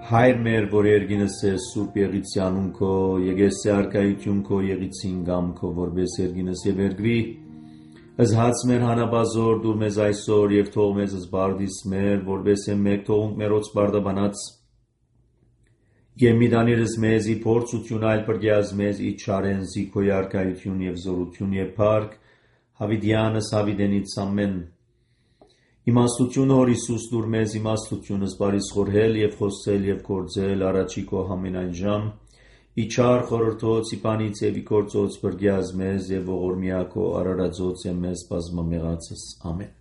Հայր մեր, որ երգինս ես սուրբ եղիցի անուն քո, եկեսի արկայություն քո եղիցին գամ քո, որպես երգինս եւ երգվի, ըզհաց մեր հանաբազոր դուր մեզ այսօր եւ թող մեզ զբարդիս մեր, որպես մեկ թողունք մերոց բարդաբանած եւ միդանիրս մեզ ի փորձություն այլ բրգյազ մեզ ի չարեն զիքո արկայություն եւ զորություն եւ փառք, հավիդյանս հավիդենից ամեն Իմաստությունը հոր Հիսուս դուր մեզ իմաստությունս բարիս խորհել եւ խոսել եւ գործել առաջի քո ամենայն ժամ ի չար խորհրդոց ի բանից եւ ի գործոց բրգյազ մեզ եւ ողորմյա քո արարածոց եւ մեզ բազմամեղացս ամեն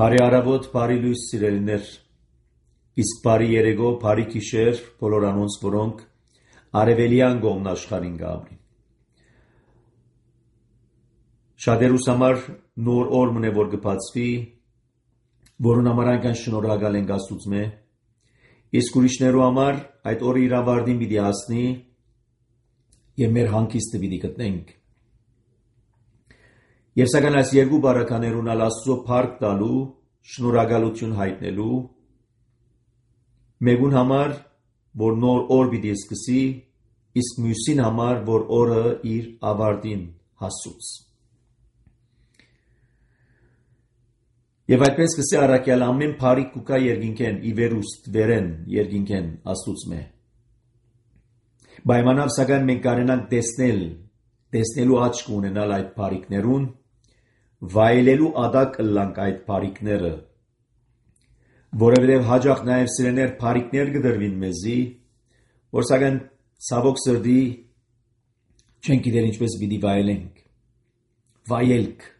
Բարի արավոտ բարի լույս սիրելիներ իսկ բարի երեգո բարի գիշեր բոլոր անոնց որոնք արևելյան կողմն աշխարհին գաբրին Շատերուս համար նոր օր մնե որ կբացվի, որուն համար այնքան շնորհակալ ենք Աստծո իսկ ուրիշներու համար այդ օրը իր ավարտին պիտի հասնի եւ մեր հանգիստը պիտի գտնենք։ Եվ սակայն այս երկու բարականերուն Աստծո փառք տալու, շնորհակալություն հայտնելու մեկուն համար, որ նոր օր պիտի սկսի, իսկ մյուսին համար, որ օրը իր ավարտին հասուց։ Եվ այդպես կսի առաքյալ ամեն բարիք կուկա երկինքեն ի վերուստ վերեն երկինքեն Աստծո Պայմանավ սակայն մենք կարենանք տեսնելու աչք ունենալ այդ բարիքներուն, վայելելու ադակ ըլլանք այդ բարիքները, որովհետև հաջող նաև սիրեներ բարիքներ կդրվին մեզի, որ սակայն ցավոք սրտի չենք գիտեր ինչպես պիտի վայելենք։ Վայելք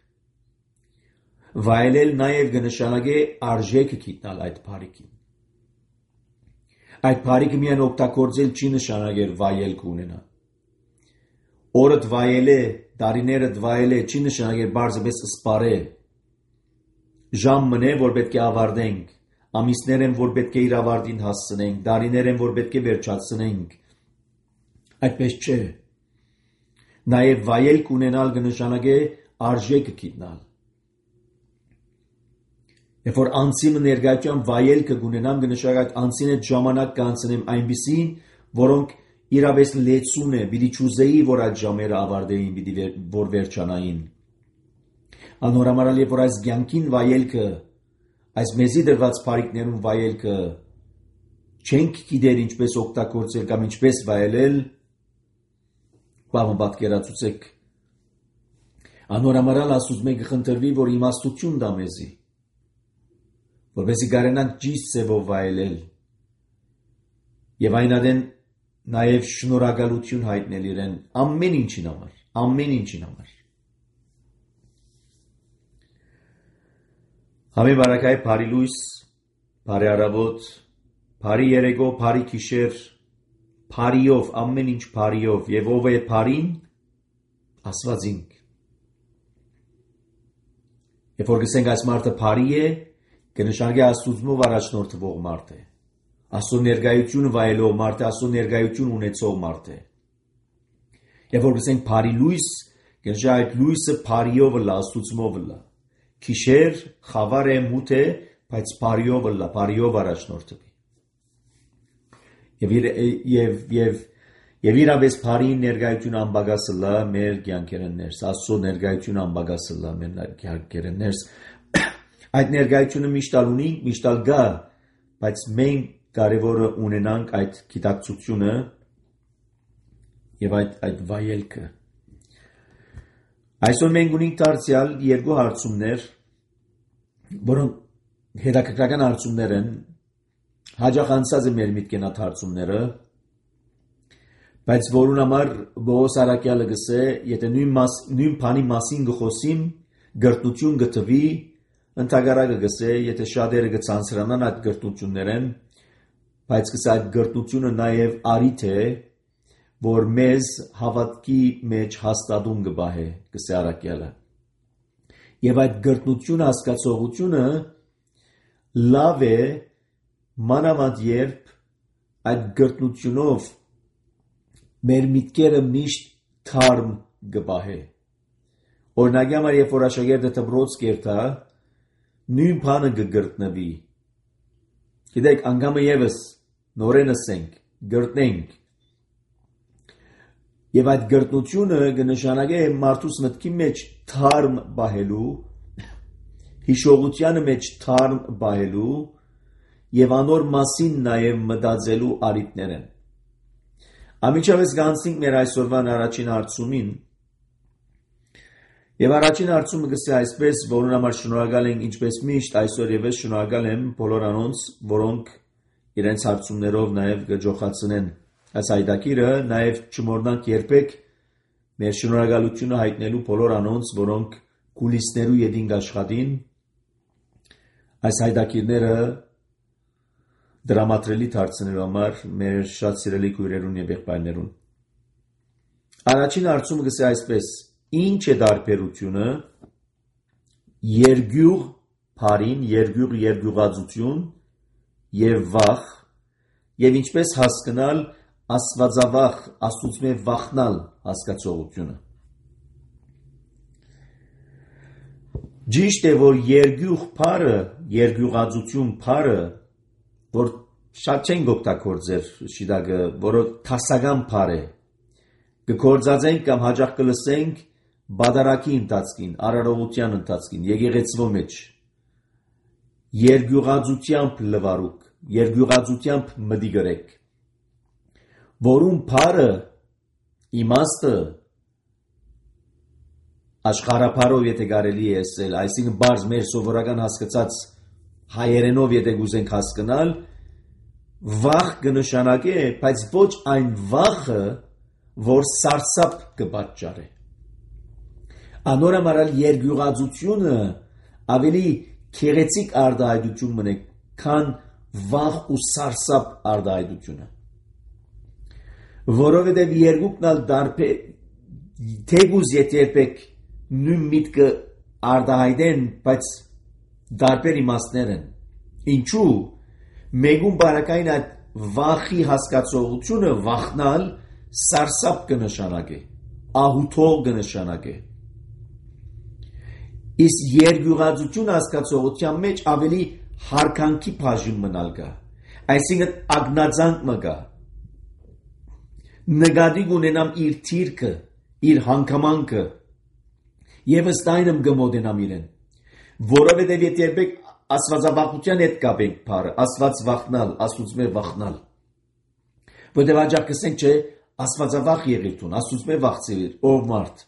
Վայելել նաև կնշանակե արժեքը գիտնալ այդ բարիքին։ Այդ բարիքը միայն օգտագործել չի նշանակեր վայելք ունենա։ Օրդ վայելե, տարիներդ վայելե չի նշանակեր բարձրապես սպարե։ Ժամ մնե, որ պետք է ավարտենք, ամիսներ են, որ պետք է իր ավարտին հասցնենք, տարիներ են, որ պետք է վերջացնենք։ Այդպես չէ։ Նաև վայելք ունենալ կնշանակե արժեքը գիտնալ։ Երբ որ անցիմը ներկայության վայելքը գունենամ կնշանակի այդ անցին այդ ժամանակ կանցնեմ այնպիսին, որոնք իրապես լեցուն է, պիտի չուզեի, որ այդ ժամերը ավարտեին, պիտի որ վերջանային։ Անորամարալ երբ որ այս կյանքին վայելքը, այս մեզի դրված բարիքներուն վայելքը չենք գիտեր ինչպես օգտագործել կամ ինչպես վայելել, բավական պատկերացուցեք։ Անորամարալ Աստծո մեկ խնդրվի, որ իմաստություն տա մեզի որպեսզի կարենանք ճիշտ ձևով վայելել եւ այնադեն նաեւ շնորհակալություն հայտնել իրեն ամեն ինչին համար Համի բարակայ բարի լույս բարի արաբոտ բարի երեգո բարի գիշեր բարիով ամեն ինչ բարիով եւ ով է բարին Աստվածինք Երբ որ գսենք այս մարդը բարի է կնշանակի Աստծո առաջնորդվող մարդ է։ Աստծո ներկայությունը վայելող մարդ է, Աստծո ներկայություն ունեցող մարդ է։ Եվ որ գսենք բարի լույս, կնշանակի այդ լույսը բարիով լա, Աստծո լա։ Քիշեր, խավար է, մութ է, բայց բարիով լա, բարիով առաջնորդվի։ Եվ իրապես բարի ներկայություն անբագասը լա մեր կյանքերն ներս, Աստծո ներկայություն անբագասը լա մեր կյանքերն ներս։ Այդ ներկայությունը միշտալ ունենք, միշտալ գա, բայց մենք կարևորը ունենանք այդ գիտակցությունը եւ այդ վայելքը։ Այսօր մենք ունենք դարձյալ երկու հարցումներ, որոնք հետաքրքրական հարցումներ են, հաջող անցած է մեր միտքեն այդ հարցումները, բայց որուն համար Բողոս առաքյալը գսե, եթե նույն բանի մասին գխոսիմ, գրտնություն գտվի Ընդհակառակը գսե, եթե շատերը կցանցրանան այդ գրտնություններեն, բայց գսե այդ գրտնությունը նաև արիթ է, որ մեզ հավատքի մեջ հաստատում կբահե, գսե առաքյալը։ Եվ այդ գրտնություն հասկացողությունը լավ է մանավանդ երբ այդ գրտնությունով մեր միտքերը միշտ թարմ գբահե։ Օրինակ համար, երբ որ աշակերտը դպրոց կերտա, նույն բանը կգրտնվի։ Գիտեք, անգամը եւս նորենս ենք, գրտնենք։ Եվ այդ գրտնությունը կնշանակե մարդուս մտքի մեջ թարմ բահելու, հիշողությանը մեջ թարմ բահելու եւ անոր մասին նաեւ մտածելու արիտներ են։ Ամիջավես գանցնենք մեր այսօրվան առաջին հարցումին։ Եվ առաջին հարցումը գսե այսպես, որոնց համար շնորհակալ ենք ինչպես միշտ այսօր եւս շնորհակալ եմ բոլոր անոնց, որոնք իրենց հարցումներով նաեւ գջոխացնեն այս հայտակիրը, նաեւ չմոռնանք երբեք մեր շնորհակալությունը հայտնելու բոլոր անոնց, որոնք կուլիսներու յետին աշխատին այս հայտակիրները դրամատրելի դարձնելու համար մեր շատ սիրելի քույրերուն եւ եղբայրներուն։ Առաջին հարցումը գսե այսպես. Ինչ է տարբերությունը երգյուղ բարին, երգյուղածություն եւ վախ եւ ինչպես հասկանալ աստվածավախ, աստուծմե վախնալ հասկացողությունը։ Ճիշտ է, որ երգյուղ բարը, երգյուղածություն բարը, որ շատ չեն օգտագործեր շիդագը, որը տասական բար է, կգործածենք կամ հաջող կլսենք բادرակի ընթացքին, արարողության ընթացքին, եկեղեցվո մեջ, երգյուղածությամբ լվարուկ, երգյուղածությամբ մտի գրեք, որում բարը իմաստը աշխարհապարով եթե կարելի է ասել, այսինքն բարձ մեր սովորական հասկացած հայերենով եթե գուզենք հասկանալ, վախ կնշանակե, բայց ոչ այն վախը, որ սարսափ կպատճառե։ Անորամարալ երգյուղածությունը ավելի քեղեցիկ արտահայտություն մնե, քան վախ ու սարսափ արտահայտությունը։ Որովհետև երկուքն ալ դարբեր թեգուզ երբեք նույն միտքը արտահայտեն, բայց դարբեր իմաստներ են։ Ինչու՞։ Մեգուն բարակային այդ վախի հասկացողությունը վախնալ սարսափ կնշանակե, ահութող կնշանակե։ Իսկ երգյուղածություն հասկացողության մեջ ավելի հարկանքի բաժին մնալ կա, այսինքն ագնացանք մը կա։ Նկատի ունենամ իր թիրքը, իր հանգամանքը, եւ ըստ այնմ կմոտենամ իրեն, որովհետեւ եթե երբեք աստվածավախության հետ կապենք բառը, աստված վախնալ, աստուծմե վախնալ։ Որտեղ աջակ կսենք, չէ, աստվածավախ եղիր տուն, աստուծմե վախցիր, ով մարդ։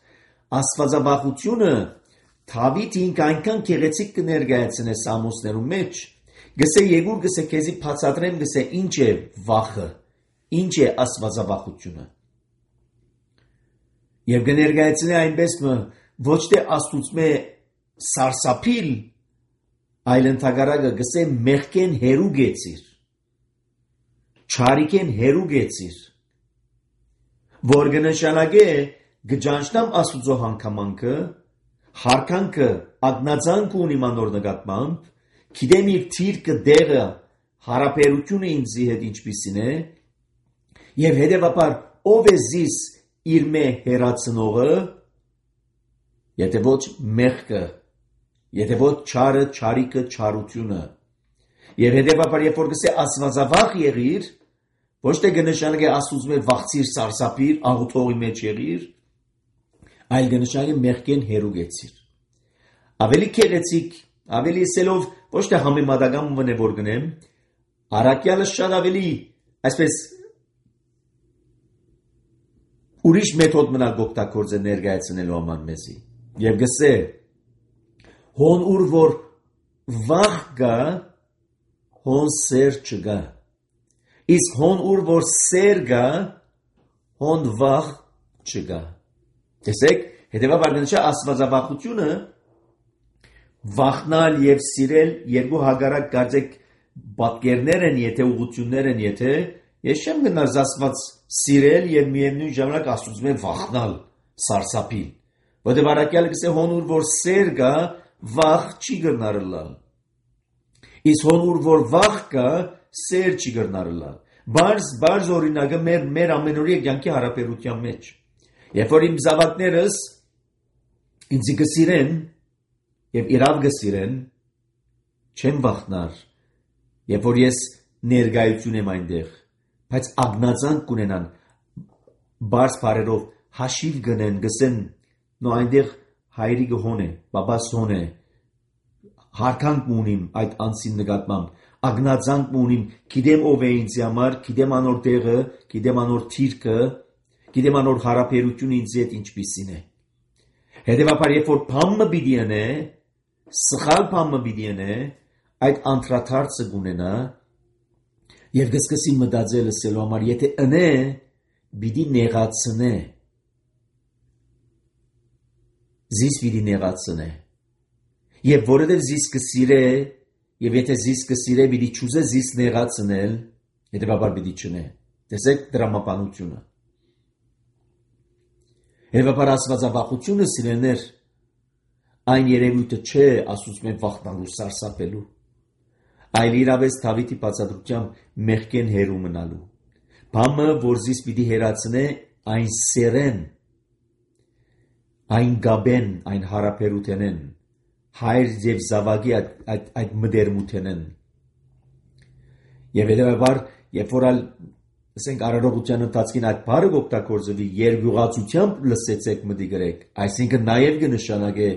Աստվածավախությունը Դավիթ ինք այնքան քեղեցիկ կներկայացնե Սամոսներու մեջ, գսե Եգուր գսե քեզի բացատրեմ գսե ինչ է վախը, ինչ է աստվածավախությունը։ Եվ կներկայացնե այնպես ոչ թե աստուծմե սարսափիլ, այլ ընդհակառակը գսե մեղքեն հերու գեցիր, չարիքեն հերու գեցիր, որ կնշանակե գճանչնամ աստուծո հանգամանքը, հարկանքը, ագնացանքը ունի մանոր նկատմամբ, գիտեմ իր թիրքը դեղը, հարաբերությունը ինձի հետ ինչպիսին է, եւ հետեւաբար ով է զիս իր մե հերացնողը, եթե ոչ մեղքը, եթե ոչ չարը, չարիքը, չարությունը, եւ հետեւաբար երբ որ գսե աստվածավախ եղիր, ոչ թե կնշանակե աստուծմե վախցիր, սարսափիր, աղոթողի մեջ եղիր, այլ կնշանակե մեղքեն հերու գեցիր։ Ավելի քեղեցիկ, ավելի սելով ոչ թե համեմատական մնե որ գնեմ, առաքյալը շատ ավելի, այսպես ուրիշ մեթոդ մնալ օգտագործել ներկայացնելու համար մեզի։ Եվ գսե հոն ուր որ վախ կա, հոն սեր չկա։ Իսկ հոն ուր որ սեր կա, հոն վախ չկա։ Տեսեք, հետևաբար նշա աստվածավախությունը վախնալ եւ սիրել երկու հագարակ կարծեք պատկերներ են, եթե ուղղություններ են, եթե ես չեմ գնալ Աստված սիրել եւ միևնույն ժամանակ աստուծմե վախնալ, սարսափիլ։ Որտեղ առաքյալը գսե հոնուր որ սեր կա, վախ չի գտնարլալ։ Իսկ հոնուր որ վախ կա, սեր չի գտնարլալ։ Բարձ օրինակը մեր ամենօրյա կյանքի հարաբերության մեջ։ Երբ որ իմ զավակներս ինձ կսիրեն եւ իրավ կսիրեն, չեմ վախնար, երբ որ ես ներկայություն եմ այնտեղ, բայց ագնացանք կունենան, բարձ բարերով հաշիվ գնեն, գսեն, նո այնտեղ հայրիկը հոն է, բաբաս հոն է, հարկանք ունիմ այդ անձին նկատմամբ, ագնացանք ունիմ, գիտեմ ով է ինձ համար, գիտեմ անոր տեղը, գիտեմ անոր թիրքը, գիտեմ անոր հարաբերությունը ինձ հետ ինչպիսին է։ Հետևաբար երբ որ բամը պիտի անե, սխալ բամը պիտի անե, այդ անդրադարձը կունենա եւ կսկսի մտածել ասելու համար, եթե անե, պիտի նեղացնե։ Զիս պիտի նեղացնե։ Եվ որովհետև զիս կսիրե, եւ եթե զիս կսիրե, պիտի չուզե զիս նեղացնել, հետևաբար պիտի չնե։ Տեսեք դրամապանությունը։ Հետևաբար աստվածավախությունը սիրելիներ, այն երևույթը չէ, ասում են վախնալու, սարսափելու, այլ իրավես Դավիթի բացատրությամբ մեղքեն հերու մնալու։ Բամը, որ զիս պիտի հերացնե, այն սերեն, այն գաբեն, այն հարաբերութենեն, հայր եւ զավակի այդ մդերմութենեն։ Եվ հետևաբար, երբ որ ասենք արարողության ընթացքին այդ բառը օգտագործվի, երկյուղացությամբ լսեցեք մտի գրեք, այսինքն նաեւ կնշանակե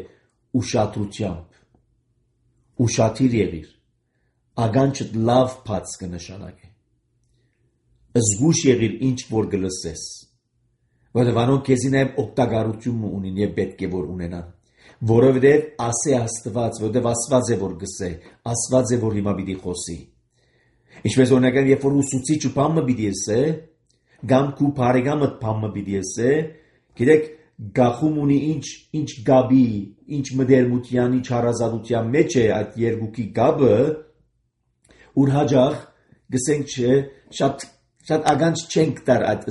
ուշադրությամբ, ուշադիր եղիր, ագանչդ լավ բաց կնշանակե, զգուշ եղիր ինչ որ կլսես, որովհետև անոնք քեզի նաեւ օգտակարություն ունին եւ պետք է որ ունենան, որովհետև ասե Աստված, որովհետև Աստված է որ գսե, Աստված է որ հիմա պիտի խոսի։ Ինչպես օրինակ երբ որ ուսուցիչը բամը պիտի ասե, կամ քու բարեկամը բամը պիտի ասե, գիտեք գախում ունի ինչ գաբի, ինչ մդերմության, ինչ հարազատության մեջ է այդ երկուքի գաբը, ուր հաջող գսենք չէ, շատ ագանջ չենք տար այդ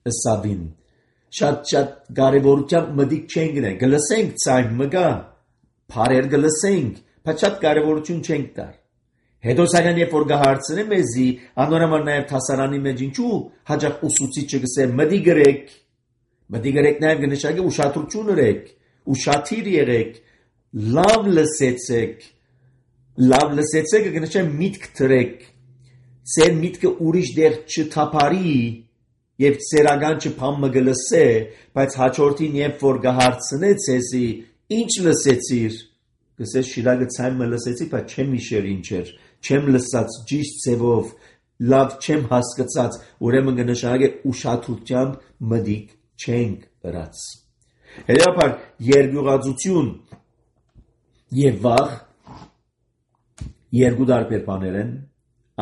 ըսավին, շատ կարևորությամբ մտիկ չենք գնել, գլսենք ցայմ մգա, բարեր գլսենք, բայց շատ կարևորություն չենք տար։ Հետո սակայն երբ որ գահարցնե մեզի, անորոման նաև հասարանի մեջ ինչու հաջող ուսուցիչը գսե մտի գրեք նաև կնշանակի ուշադրություն ըրեք, ուշադիր եղեք, լավ լսեցեք կնշանակի միտք դրեք, ծեր միտքը ուրիշ դեղ չթափարի եւ ծերական չփամը գլսե, բայց հաջորդին երբ որ գահարցնե ցեսի, ինչ լսեցիր, գսես շիրակը ցայմը լսեցի, բայց չեմ հիշեր ինչ էր, չեմ լսած ճիշտ ձևով, լավ չեմ հասկացած, ուրեմն կնշանակի ուշադրությամբ մտիկ չենք ըրած։ Հետևաբար երկյուղածություն եւ վախ երկու տարբեր բաներ են,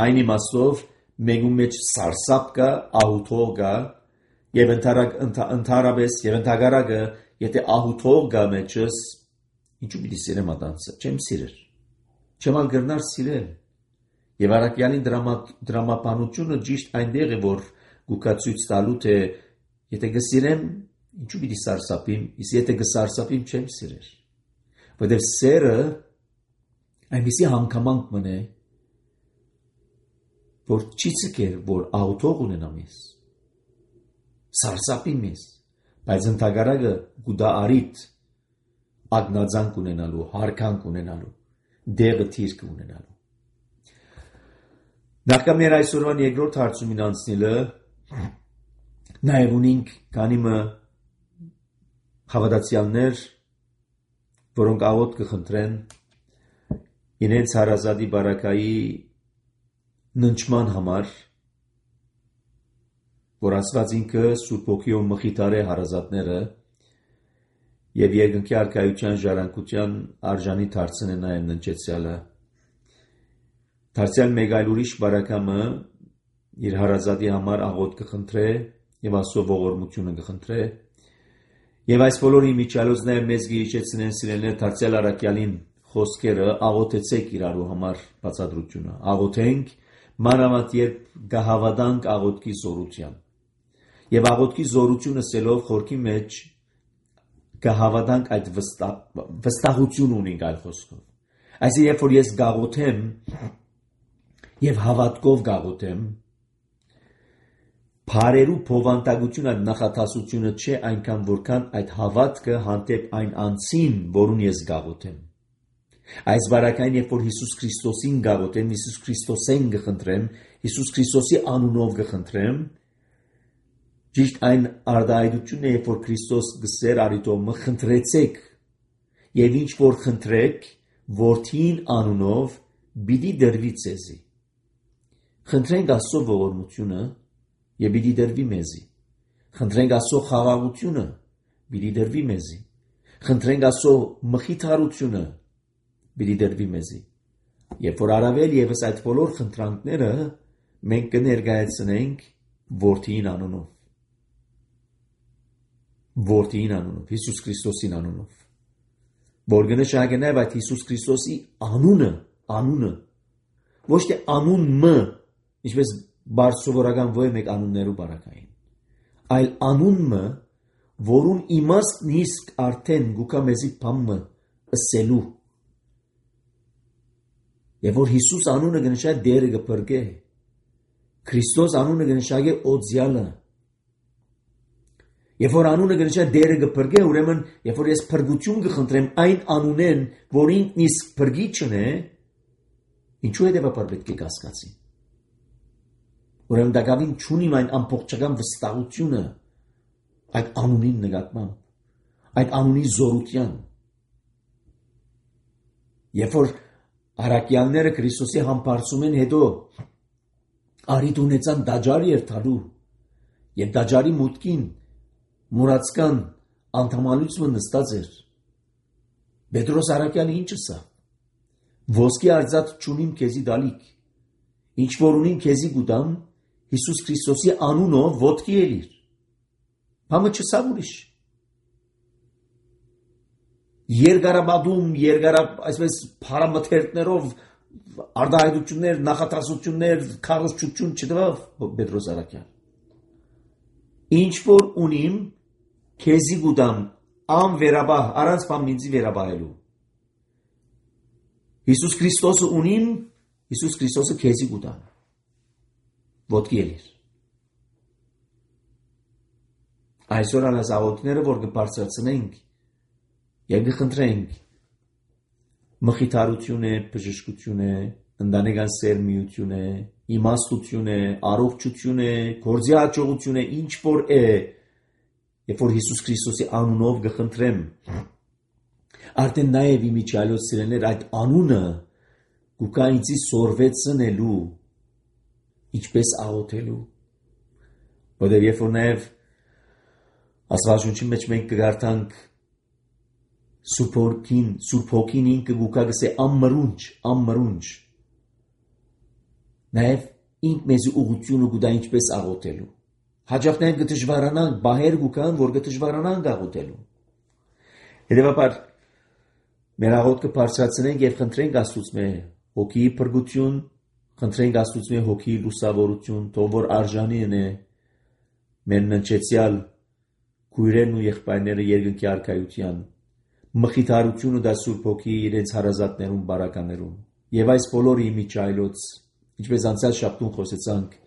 այն իմաստով մեկու մեջ սարսափ կա, ահութող կա, եւ ընդհանրապես եւ ընդհանրակը, եթե ահութող կա մեջս, ինչու պիտի սիրեմ ատանցը, չեմ սիրեր, չեմ ալ գրնար սիրել, եւ առաքյալին դրամապանությունը ճիշտ այնտեղ է, որ գուկացույց տալու թե եթե գսիրեմ, ինչու պիտի սարսափիմ, իսկ եթե գսարսափիմ չեմ սիրեր, որովհետեւ սերը այնպիսի հանգամանք մնե, որ չի ցկեր, որ ահութող ունենամ ես, սարսափի մեզ, բայց ընդհանրակը գուդա արիտ, ագնացանք ունենալու, հարկանք ունենալու, դեղը թիրքը ունենալու։ Նախքան մեր այսօրվան երկրորդ հարցումին անցնելը, նաև ունենք քանիմը հավատացյալներ, որոնք աղոտ կխնդրեն իրենց հարազատի բարակայի ննչման համար, որ Աստված ինքը Սուրբ Հոգիով մխիթարե հարազատները եւ երկնքի արքայության ժառանգության արժանի դարձնե նաեւ ննչեցյալը։ Դարձյալ մեկ այլ ուրիշ բարակամը իր հարազատի համար աղոտ կխնդրե եւ Աստծո ողորմությունը կխնդրե եւ այս բոլորի միջալոց նաեւ մեզ գիչեցնեն սիրելիներ դարձյալ առաքյալին խոսքերը աղոթեցեք իրարու համար բացատրությունը աղոթենք մանավանդ երբ գահավատանք աղոթքի զորությամբ եւ աղոթքի զորությունը սելով խորքի մեջ գահավատանք այդ վստահություն ունենք այլ խոսքով այսինքն երբ որ ես գաղոթեմ եւ հավատքով գաղոթեմ Փարերու փովանտագությունը նախատասությունը չէ այնքան որքան այդ հավատքը հանդեպ այն անձին, որուն ես գաղութեմ։ Այս բարակային, երբ որ Հիսուս Քրիստոսին գաղութեմ, Հիսուս Քրիստոսեն գխնդրեմ, Հիսուս Քրիստոսի անունով գխնդրեմ, ճիշտ այն արտահայտությունն է, երբ որ Քրիստոս գսեր արիտոմը խնդրեցեք, եւ ինչ որ խնդրեք, որդին անունով պիտի դրվի ցեզի։ Խնդրենք Աստծո ողորմությունը եւ պիտի դրվի մեզի։ Խնդրենք Աստծո խաղաղությունը, պիտի դրվի մեզի։ Խնդրենք Աստծո մխիթարությունը, պիտի դրվի մեզի։ Երբ որ առավել եւս այդ բոլոր խնդրանքները մենք կներկայացնենք որդին անունով։ Որդին անունով, Հիսուս Քրիստոսին անունով։ Որ գնահատենք նաեւ այդ Հիսուս Քրիստոսի անունը, ոչ թե անունը, ինչպես բարձրորական ոչ մեկ անուններու բարակային, այլ անունը, որուն իմաստն իսկ արդեն գուկա մեզի բամը ըսելու։ Եվ որ Հիսուս անունը գնշա դերը գպրգե, Քրիստոս անունը գնշագե օձյալը։ Եվ որ անունը գնշա դերը գպրգե, ուրեմն երբ որ ես փրկություն կխնդրեմ այն անունեն, որին իսկ փրկիչն է, ինչու է դեպա պետք է կասկածի։ Ուրեմն դակավին չունիմ այն ամբողջական վստահությունը այդ անունին նկատմամբ, այդ անունի զորության։ Երբ որ արաքյանները Քրիստոսի համբարձում են հետո արիտ ունեցան դաջար երթալու եւ դաջարի մուտքին մուրացկան անդամալույցը նստած էր։ Պետրոս արաքյանը ինչը սա։ Ոսկի արձած չունիմ քեզի դալիք։ Ինչ որ ունիմ քեզի գուտամ Հիսուս Քրիստոսի անունով ոտքի ելիր։ Համը չսա ուրիշ։ Երգարաբադում, այսպես փարամթերքներով արտահայտություններ, նախատասություններ, քարոզչություն չտվավ Պետրոս արաքյան։ Ինչ որ ունիմ քեզի գուտամ անվերաբահ առանց բամինձի վերաբահելու։ Հիսուս Քրիստոսը ունիմ, Հիսուս Քրիստոսը քեզի գուտամ։ Ոտքի ելիր։ Այսօր անաս աղոթքները, որ կբարձրացնենք եւ կխնդրենք մխիթարություն է, բժշկություն է, ընտանեկան սերմիություն է, իմաստություն է, առողջություն է, գործի հաջողություն է, ինչ որ է, երբ որ Հիսուս Քրիստոսի անունով կխնդրեմ, արդեն նաեւ իմիջիալոց սիրելիներ այդ անունը գուկա ինձի սորվեցնելու, ինչպես աղոթելու, որտեղ երբ որ նաեւ Աստվածաշունչի մեջ մենք կգարտանք Սուրբ Հոգին ինքը գուկա գսե ամմրունջ, նաև ինք մեզի ուղղությունը գուտա ինչպես աղոթելու։ Հաջող նաև կդժվարանանք, բահեր գուկան, որ կդժվարանանք աղոթելու։ Հետևաբար մեր աղոթքը բարձրացնենք եւ խնդրենք Աստծուց հոգիի փրկություն, խնդրենք Աստծուց հոգիի լուսավորություն, թող որ արժանին է մեր ննչեցյալ քույրերն ու եղբայրները երկնքի արքայության, մխիթարությունը դա Սուրբ Հոգի իրենց հարազատներուն բարականերուն։ Եվ այս բոլորը իմիջայլոց, ինչպես անցյալ շաբթուն խոսեցանք,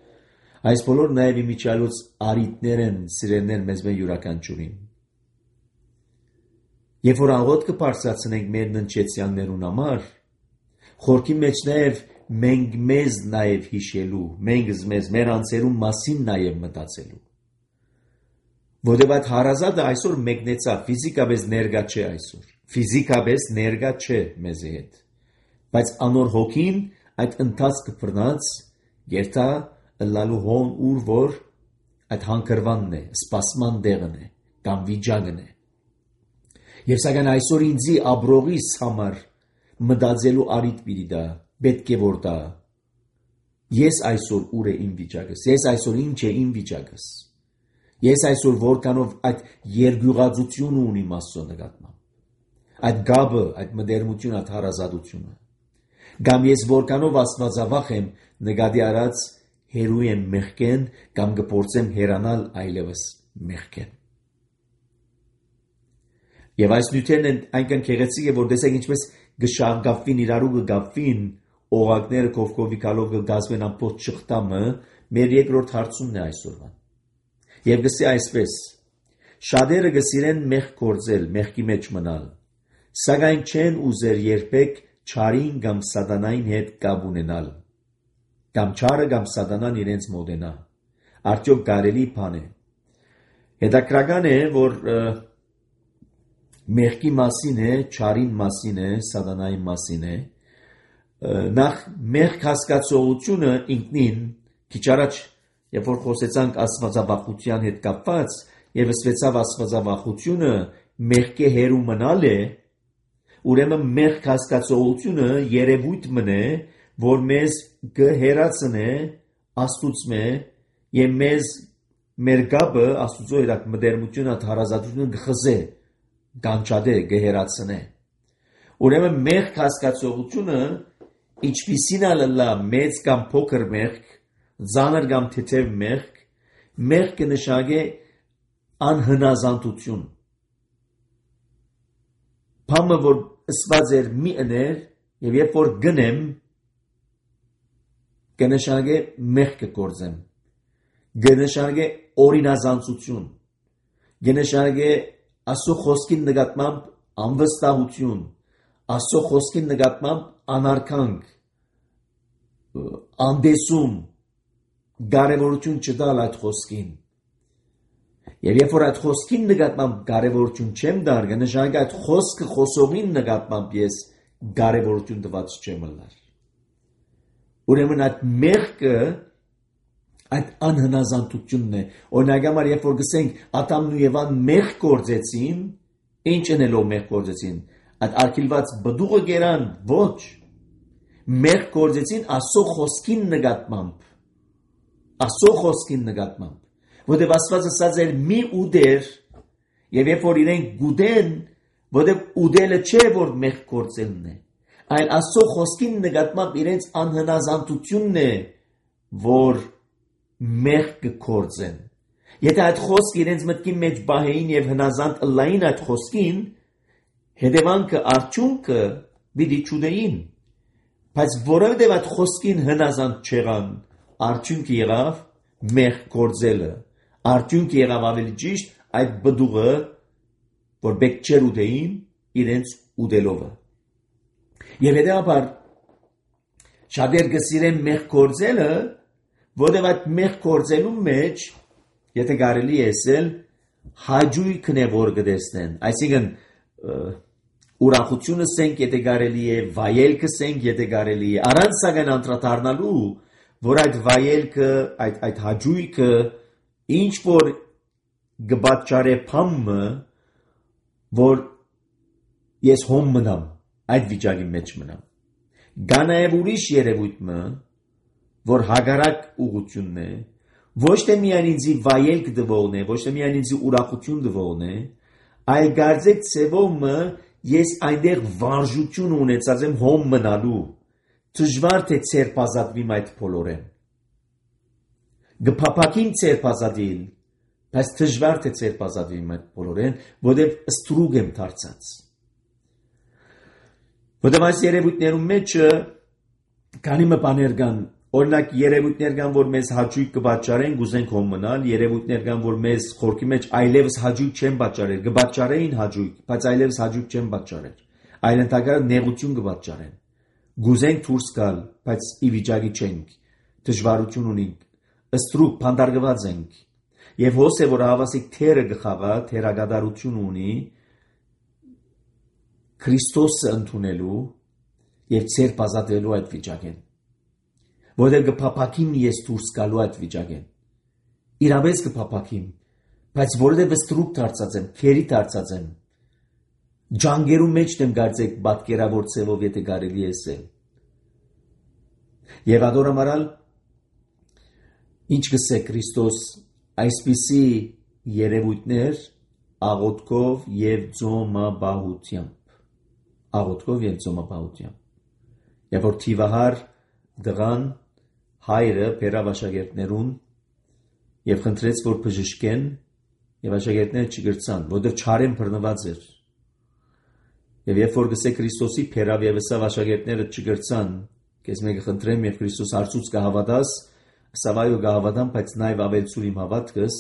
այս բոլորը նաև իմիջայլոց արիտներ են, սիրելներ մեզ մեն յուրաքանչյուրին։ Երբ որ աղոթքը բարձրացնենք մեր ննչեցյաններուն համար, խորքի մեջ նաև մենք մեզ նաև հիշելու, մենք մեր անձերուն մասին նաև մտածելու։ Որտեւ այդ հարազատը այսօր մեկնեցավ, ֆիզիկապես ներկա չէ այսօր։ Ֆիզիկապես ներկա չէ մեզ հետ։ Բայց անոր հոգին այդ ընթացքը բռնած երթա լալու հոն ուր որ այդ հանգրվանն է, սպասման տեղն է, կամ վիճակն է։ Եվ սակայն այսօր ինձի աբրողիս համար մտածելու արիտ պիտի դա, պետք է որ դա։ Ես այսօր ուր է իմ վիճակս, ես այսօր ինչ է իմ վիճակս։ Ես այսօր որքանով այդ երգյուղածությունը ունիմ Աստծո նկատմամբ, այդ գաբը, այդ մտերմությունը, այդ հարազատությունը, կամ ես որքանով աստվածավախ եմ նկատի առած հերու եմ մեղքեն, կամ կփորձեմ հեռանալ այլևս մեղքեն։ Եվ այս նյութերն են այնքան գեղեցիկ է, որ տեսեք ինչպես գշաղգապվին իրարու կգապվին, օղակները կովկովի կալով կգազմեն ամբողջ շղթամը, մեր երկրորդ հարցումն է այսօրվան։ Եվ գսի այսպես. շատերը գսիրեն մեղք գործել, մեղքի մեջ մնալ, սակայն չեն ուզեր երբեք չարին կամ սատանային հետ կապ ունենալ, կամ չարը կամ սատանան իրենց մոտենա։ Արդյոք կարելի բան է։ Հետաքրքրական է, որ մեղքի մասին է, չարին մասին է, սատանայի մասին է։ Նախ մեղք հասկացողությունը ինքնին քիչ առաջ, երբ որ խոսեցանք աստվածավախության հետ կապված, եւ ասվեցավ աստվածավախությունը մեղքի հերու մնալ է, ուրեմն մեղք հասկացողությունը երևույթ մնե, որ մեզ կհերացնե աստուծմե եւ մեզ մեր գաբը աստուծո հետ մտերմությունը հարազատությունը կխզե, կանչադե կհերացնե։ Ուրեմն մեղք հասկացողությունը ինչպիսին ալլա մեծ կամ փոքր մեղք, ծանր կամ թեթև մեղք, մեղքը նշագե անհնազանդություն։ Բամը որ ասված էր մի ըներ եւ երբ որ գնեմ կնշագե մեղք կգործեմ, կնշագե օրինազանցություն, կնշագե Աստծո խոսքին նկատմամբ անվստահություն, Աստծո խոսքին նկատմամբ անարքանք, անդեսում, կարևորություն չտալ այդ խոսքին։ Եվ երբ որ այդ խոսքին նկատմամբ կարևորություն չեմ տար, կնշանակի այդ խոսքը խոսողին նկատմամբ ես կարևորություն տված չեմ ըլլար։ Ուրեմն այդ մեղքը այդ անհնազանդությունն է։ Օրինակ համար երբ որ գսենք Ադամն ու Եվան մեղք գործեցին, ինչ անելով մեղք գործեցին, այդ արգելված բդուղը գերան, ոչ, մեղք գործեցին Աստծո խոսքին նկատմամբ, Աստծո խոսքին նկատմամբ, որտեղ Աստված ասած էր մի ուդեր, եւ երբ որ իրենք գուդեն, որտեղ ուդելը չէ որ մեղք գործելն է, այլ Աստծո խոսքին նկատմամբ իրենց անհնազանդությունն է, որ մեղք կգործեն։ Եթե այդ խոսքը իրենց մտքի մեջ բահեին եւ հնազանդ ըլլային այդ խոսքին, հետևանքը արդյունքը պիտի չուդեին, բայց որովհետեւ այդ խոսքին հնազանդ չեղան, արդյունքը եղավ մեղք գործելը, արդյունքը եղավ ավելի ճիշտ այդ բդուղը, որ բեք չեր ուդեին իրենց ուդելովը։ Եվ հետևաբար շատեր կսիրեն մեղք գործելը, որովհետև այդ մեղք գործելու մեջ, եթե կարելի է ասել, հաճույքն է որ կտեսնեն, այսինքն ուրախությունը սենք եթե կարելի է, վայելքը սենք եթե կարելի է, առանց սակայն անդրադառնալու, որ այդ վայելքը, այդ հաճույքը ինչ որ կպատճառե փամը, որ ես հոմ մնամ, այդ վիճակի մեջ մնամ։ Կա նաև ուրիշ երևույթը, որ հագարակ ուղղությունն է, ոչ թե միայն ինձի վայելք դվողն է, ոչ թե միայն ինձի ուրախություն դվողն է, այլ գարձեք ցևոմը ես այնտեղ վարժություն ունեցած եմ հոմ մնալու, դժվար թե ցերպազատվիմ այդ բոլորեն։ Գփափակին ցերպազատիլ, բայց դժվար թե ցերպազատվիմ այդ բոլորեն, որտեղ ստրուգ եմ դարձած։ Որտեղ այս երևույթներում մեջ քանի բաներ կան, օրինակ երևույթներ կան, որ մեզ հաճույք կպատճառեն, գուզենք հոմ մնալ, երևույթներ կան, որ մեզ խորքի մեջ այլևս հաճույք չեն պատճառել, կպատճառեին հաճույք, բայց այլևս հաճույք չեն պատճառել, այլ ընդհանրապես նեղություն կպատճառեն։ Գուզենք դուրս գալ, բայց ի վիճակի չենք, դժվարություն ունենք, ստրուկ փանդարգված ենք։ Եվ հոս է, որ հավասիկ թերը գխաղա, թերագադարություն ունի Քրիստոսը ընդունելու եւ ցեր բազատելու այդ վիճակեն։ Որտեղ կփափակիմ ես դուրս գալու այդ վիճակեն։ Իրավես կփափակիմ, բայց որովհետեւ ստրուկ դարձած եմ, քերի դարձած եմ։ Ջանգերու մեջ դեմ գարձեք պատկերավոր ցևով եթե կարելի է ասել։ Եվ ադորամարալ ինչ գսե Քրիստոս այսպիսի երևույթներ աղոթքով եւ ծոմապահությամբ։ Աղոթքով եւ ծոմապահությամբ։ Եվ որ թիվահար դղան հայրը բերավ աշակերտներուն եւ խնդրեց որ բժշկեն եւ աշակերտները չգրցան, որովհետեւ չարեն բռնված էր։ Եվ երբ որ գսե Քրիստոսի բերավ եւ ասավ աշակերտները չգրցան, քեզ մեկը խնդրեմ եւ Քրիստոս հարցուց կհավատաս, սավայո կհավատամ, բայց նաեւ ավելցուր իմ հավատքս,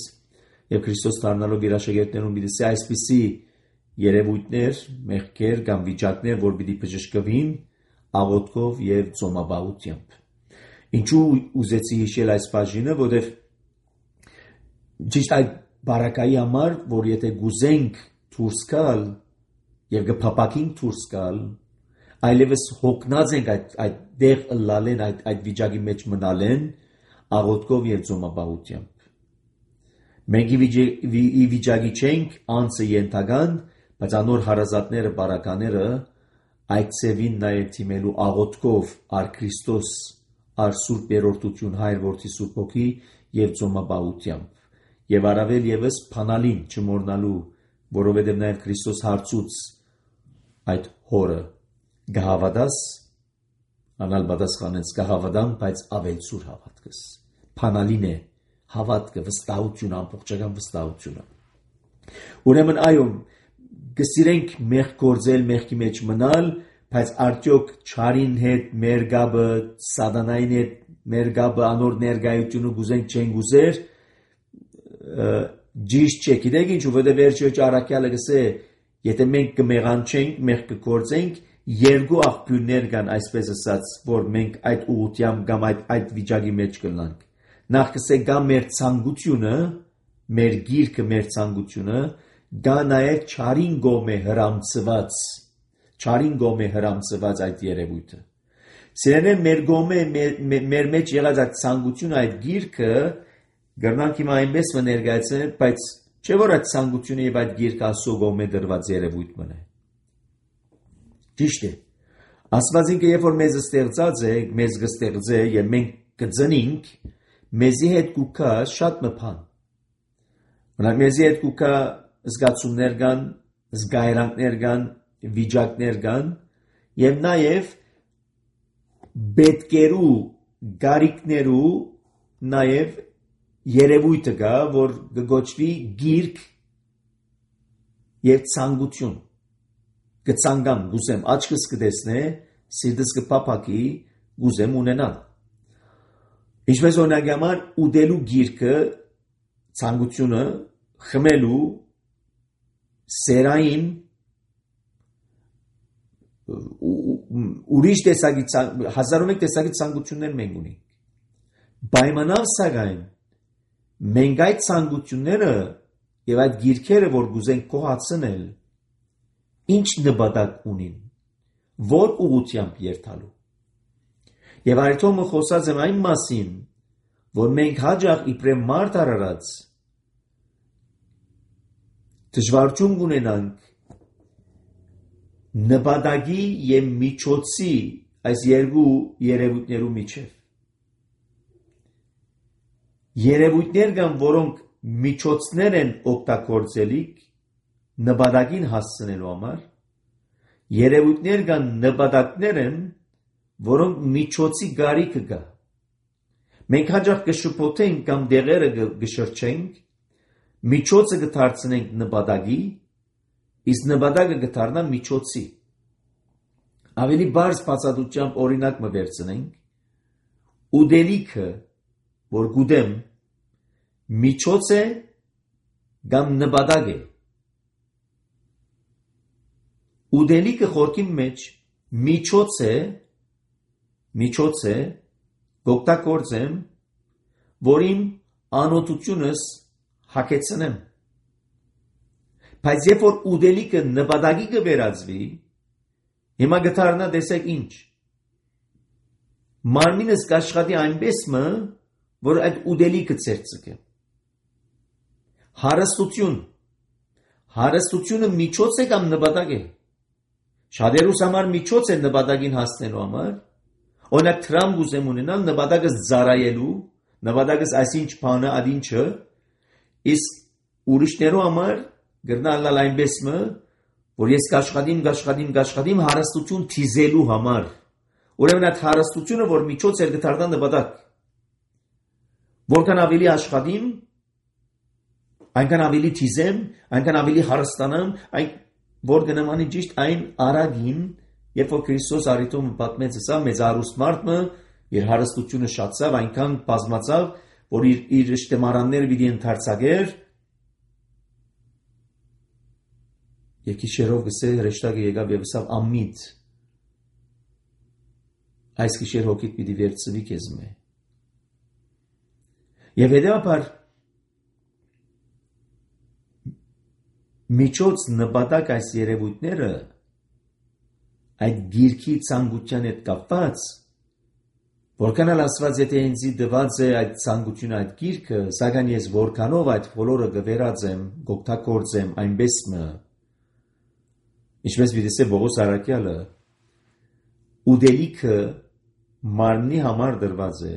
եւ Քրիստոս դառնալով իր աշակերտներուն պիտի այսպիսի երևույթներ, մեղքեր կամ վիճակներ, որ պիտի բժշկվին աղոթքով եւ ծոմաբաղությամբ։ Ինչու ուզեցի հիշել այս բաժինը, որովհետեւ ճիշտ այդ բարակայի համար, որ եթե գուզենք դուրս գալ եւ գփապակենք դուրս գալ, այլևս հոգնած ենք այդ դեղ ըլլալեն, այդ վիճակի մեջ մնալեն աղոթքով եւ ծոմաբաղությամբ։ Մենք ի վիճակի չենք անձը ենթական, բայց անոր հարազատները, բարակաները այդ ծևին նաև թիմելու աղոթքով առ Քրիստոս, առ Սուրբ Երրորդություն, Հայր Որդի Սուրբ Հոգի եւ ծոմաբաղությամբ։ Եվ առավել եւս փանալին չմոռնալու, որովհետեւ նաև Քրիստոս հարցուց այդ հորը գահավադաս, անալ պատասխանեց գահավադան, բայց ավելցուր հավատքս։ Փանալին է հավատքը, վստահություն, ամբողջական վստահությունը։ Ուրեմն այո, կսիրենք մեղք գործել, մեղքի մեջ մնալ, բայց արդյոք չարին հետ մեր գաբը, սատանային հետ մեր գաբը, անոր ներկայությունը գուզենք չենք գուզեր, ճիշտ չէ, գիտեք ինչ, որովհետև վերջի առաքյալը գսե, եթե մենք կմեղանչենք, մեղք կգործենք, երկու աղբյուրներ կան, այսպես ասած, որ մենք այդ ուղղությամբ կամ այդ վիճակի մեջ կլանք։ Նախ կսե գա մեր ցանկությունը, մեր գիրքը, մեր ցանկությունը, գա նաև չարին գոմե հրամցված այդ երևույթը։ Սիրելիներ, մեր գոմե, մեր մեջ եղած այդ ցանկությունը, այդ գիրքը գրնանք հիմա այնպես ներկայացնել, բայց չէ որ այդ ցանկությունը եւ այդ գիրքը Աստծո գոմե դրված երևույթ մնա։ Ճիշտ է։ Աստված ինքը երբ որ մեզ ստեղծած է, մեզ կստեղծե եւ մենք կծնինք, մեզի հետ կուքա շատ մփան։ Մնաք մեզի հետ կուքա զգացումներ կան, զգայրանքներ կան, վիճակներ կան եւ նաեւ պետքերու, գարիկներու նաեւ երևույթը կա, որ կգոչվի գիրք եւ ցանկություն։ Կցանգամ, գուզեմ աչքս կտեսնե, սիրտս կփափակի, գուզեմ ունենալ։ Ինչպես օրինակ համար ուտելու գիրքը, ցանկությունը, խմելու, սերային, ուրիշ տեսակի, հազարոմեկ տեսակի ցանկություններ մենք ունենք։ Պայմանավ սակայն, մենք այդ ցանկությունները եւ այդ գիրքերը, որ գուզենք կոհացնել, ինչ նպատակ ունին, որ ուղղությամբ երթալու։ Եվ այդտեղը խոսած եմ այն մասին, որ մենք հաջող իբրև մարդ արարած դժվարություն ունենանք նպատակի եւ միջոցի այս երկու երևույթներու միջև։ Երևույթներ կան, որոնք միջոցներ են օգտագործելիք նպատակին հասցնելու համար, երևույթներ կան նպատակներ են, որոնք միջոցի գարիքը կա։ Մենք հաջող կշփոթենք կամ դեղերը կշրջենք, միջոցը կդարձնենք նպատակի, իսկ նպատակը կդառնա միջոցի։ Ավելի բարձ բացատրությամբ օրինակ մը վերցնենք, ուտելիքը, որ գուտեմ, միջոց է կամ նպատակ է։ Ուտելիքը խորքի մեջ միջոց է, գօգտագործեմ, որ իմ անօթությունս հագեցնեմ։ Բայց երբ որ ուտելիքը նպատակի կվերածվի, հիմա կդառնա տեսեք ինչ։ Մարմինս կաշխատի այնպես մը, որ այդ ուտելիքը ցերծկե։ Հարստությունը միջոց է կամ նպատակ է։ Շատերուս համար միջոց է նպատակին հասնելու համար։ Օրինակ թրամ գուզեմ ունենալ նպատակս ծառայելու, նպատակս այսինչ բանը ադինչը, իսկ ուրիշներու համար գրնալալ այնպես մը, որ ես կաշխատիմ հարստություն թիզելու համար։ Ուրեմն այդ հարստությունը, որ միջոց էր կդառնա նպատակ։ Որքան ավելի աշխատիմ, այնքան ավելի թիզեմ, այնքան ավելի հարստանամ, որ գնամանի ճիշտ այն արագին, երբ որ Քրիստոս արիտոմը պատմեց սա, մեծ արուստ մարդը, իր հարստությունը շատացավ, այնքան բազմացավ, որ իր շտեմարանները պիտի ընդարձակեր Եվ գիշերով գսե հրեշտակը եկավ եւ ասավ ամիդ այս գիշեր հոգիդ պիտի վերցվի քեզ մե եւ հետեւաբար միջոց նպատակ այս երևույթները այդ գիրքի ցանկության հետ կապված որքան էլ ասված եթե ինձի դված է այդ ցանկությունը այդ գիրքը սակայն ես որքանով այդ բոլորը գվերածեմ գոկտակորձեմ այնպես մը ինչպես վիդեսե Բողոս Արաքյալը ուդելիքը մարմնի համար դրված է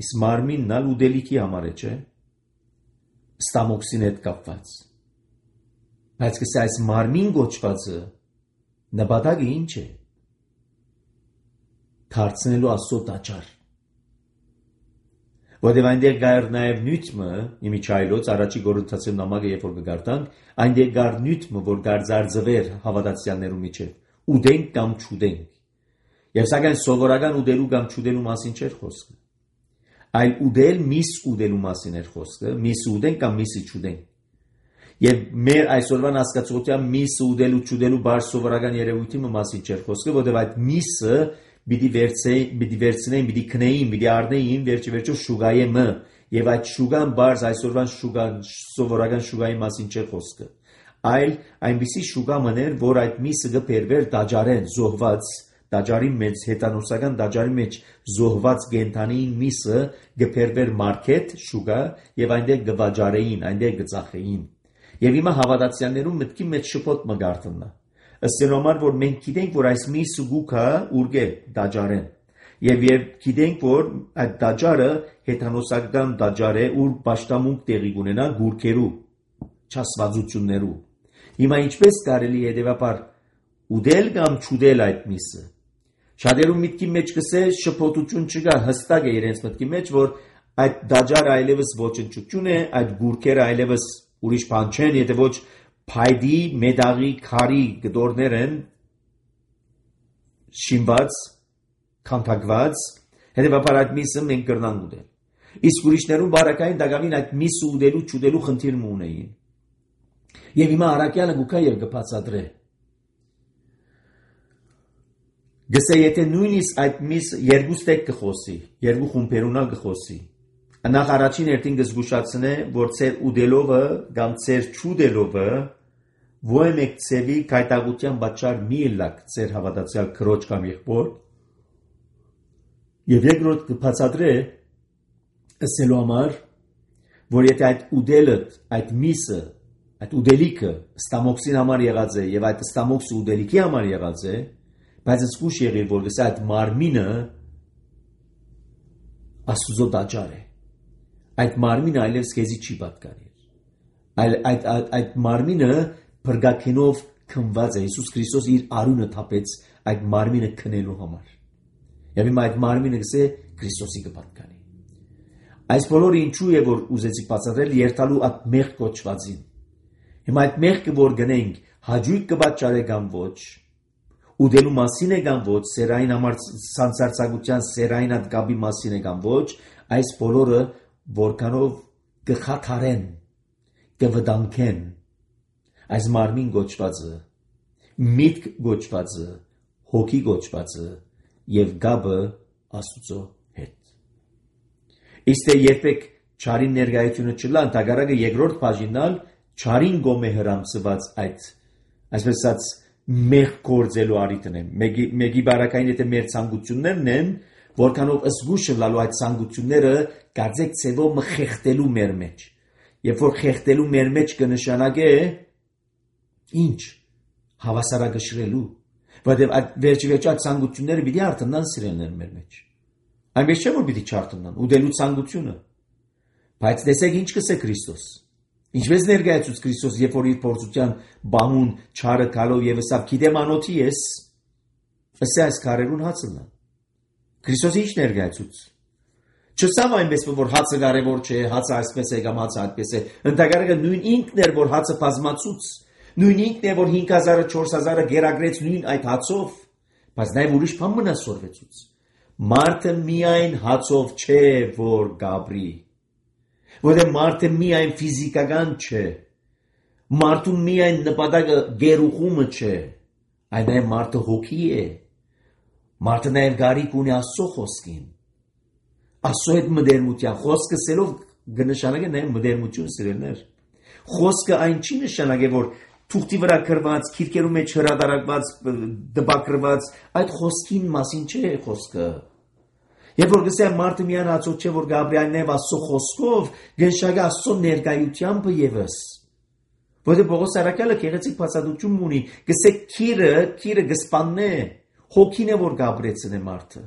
իսկ մարմինն ալ ուդելիքի համար է չէ ստամոքսին հետ կապված բայց կսա այս մարմին գոչվածը նպատակը ինչ է դարձնելու Աստծո տաճար որտեղ այնտեղ գար նաև նյութը իմիջայլոց առաջի Կորինթացիներու նամակը երբ որ կգարտանք այնտեղ գար նյութը որ գար զարձվեր հավատացյալներու միջև ուդենք կամ չուդենք եւ սակայն սովորական ուդելու կամ չուդելու մասին չէր խոսքը այլ ուդել միս ուդելու մասին էր խոսքը միս ուդենք կամ միսի չուդենք եւ մեր այսօրվան հասկացողության միսը ուդելու չուդելու բարձ սովորական երևույթի մասին չէր խոսքը որտեղ այդ միսը Բիդի վերցնեին, բիդի քնեին, բիդի առնեին, վերջի շուգայի մը եւ այդ շուգան բարձ այսօրվան շուգան սովորական շուգայի մասին չէ խոսքը այլ այնպիսի շուգա մներ որ այդ միսը կբերվեր դաջարեն զոհված դաջարի մեջ հետանոսական դաջարի մեջ զոհված գենթանին միսը կբերվեր մարքետ շուգա եւ այնտեղ կվաճարեին այնտեղ կծախեին եւ հիմա հավատացյալներու մտքի մեջ շփոթ մը գարտնա Ըստերոմար որ մենք գիտենք որ այս միսը գուքա ուրգե դաջարեն եւ գիտենք որ այդ դաջարը հետանոսական դաջար է ուր պաշտամունք տեղի կունենա գուրքերու չասվածություններու հիմա ինչպես կարելի է հետեւաբար ուդել կամ չուդել այդ միսը շատերու միտքի մեջ կսե շփոթություն չկա հստակ է իրենց մտքի մեջ որ այդ դաջարը այլևս ոչնչություն է այդ գուրքերը այլևս ուրիշ բան չեն եթե ոչ Փայդի մեդաղի քարի գդորներ են շիմված քանթակված հետեւաբար այդ միսը մենք կրնանք ուդել իսկ ուրիշներուն բարակային դակամին այդ միսը ուդելու չուդելու խնդիր ունեին եւ հիմա Արաքյալը գուքա եւ կբացատրե գսե եթե նույնիսկ այդ միսը երկու ստեկ կխոսի երկու խումբերունալ կխոսի նախ առաջին երթին կզգուշացնե որ ծեր ուդելովը կամ ծեր չուդելովը Ոյ մեկ ծևի կայտագության բաճար մի լակ ծեր հավատացյալ քրոջ կամ եղբոր եւ երկրորդ կբացատրե ասելու համար որ եթե այդ ուդելը այդ միսը այդ ուդելիքը ստամոքսին համար եղած է եւ այդ ստամոքսը ուդելիքի համար եղած է բայց զգուշ եղիր որ գսա այդ մարմինը Աստուծո տաճար է այդ մարմինը այլևս քեզի չի պատկանի այլ այդ մարմինը Բրգակենով քնված է Հիսուս Քրիստոս իր արունը թափեց այդ մարմինը քնելու համար եւ հիմա այդ մարմինը գսե Քրիստոսի կպատկանի այս բոլորը ինչու է որ ուզեցի բացատրել երթալու այդ մեղ կոչվածին հիմա այդ մեղքը որ գնենք հաջույք կբաճարե կամ ոչ ուդելու մասին է կամ ոչ սերային համար սանցարցակության սերային այդ գաբի մասին է կամ ոչ այս բոլորը որքանով կխաթարեն կվտանգեն Այս մարմին գոչվածը, միտք գոչվածը, հոգի գոչվածը եւ գաբը Աստուծո հետ։ Իսկ երբեք չարին ներկայությունը չլա, ընդհակառակը երկրորդ բաժինալ չարին գոմե հրամսված այդ, այսպես ասած, մեղ գործելու արիտն է։ Մեկի բարակային եթե մեր ցանկություններն են, որքանով զգուշ լալու այդ ցանկությունները գարձեք ցևով մխեղտելու մեր մեջ։ Երբ որ խեղտելու մեր մեջ կնշանակե Ինչ հավասարակշռելու որտեղ այդ վերջի ցանկությունները պիտի արտնան սիրելներ մեր մեջ այնպես չէ որ պիտի չարտնան ուդելու ցանկությունը բայց տեսեք ինչ կսե Քրիստոս ինչպես ներկայացուց Քրիստոս երբ որ իր փորձության բահուն չարը գալով եւ ասավ գիտեմ անոթի ես ասա այս կարերուն հացնա Քրիստոսի ինչ ներկայացուց չսամ այնպես որ հացը կարևոր չէ հացը այսպես է կամ հացը այդպես է ընդհանրապես նույն ինքն էր որ հացը բազմացուց Նույն ինքն է որ 5000-ը 4000-ը գերագրեց նույն այդ հացով, բայց նաև ուրիշ բան մնասորվեցուց։ Մարդը միայն հացով չէ որ գաբրի։ Որտեղ մարդը միայն ֆիզիկական չէ, Մարդու միայն նպատակը գերուխումը չէ, այլ նաև մարդը հոգի է, մարդը նաև գարիք ունի Աստծո խոսքին, Աստծո հետ մտերմության, խոսքը սելով կնշանակե նաև մտերմություն սիրելներ, խոսքը այն չի նշանակե, որ թուղթի վրա գրված, քիրքերու մեջ հրադարակված, դպակրված, այդ խոսքին մասին չէ խոսքը, Երբ որ գսե մարդը միան ածոտ չէ, որ Գաբրիելն է Աստծո խոսքով, գնշագը Աստծո ներկայությամբ ևս, որտեղ Պողոս Արաքյալը գեղեցիկ բացատրություն ունի, գսե քիրը գսպանն է, հոգին է որ Գաբրեցն է մարդը։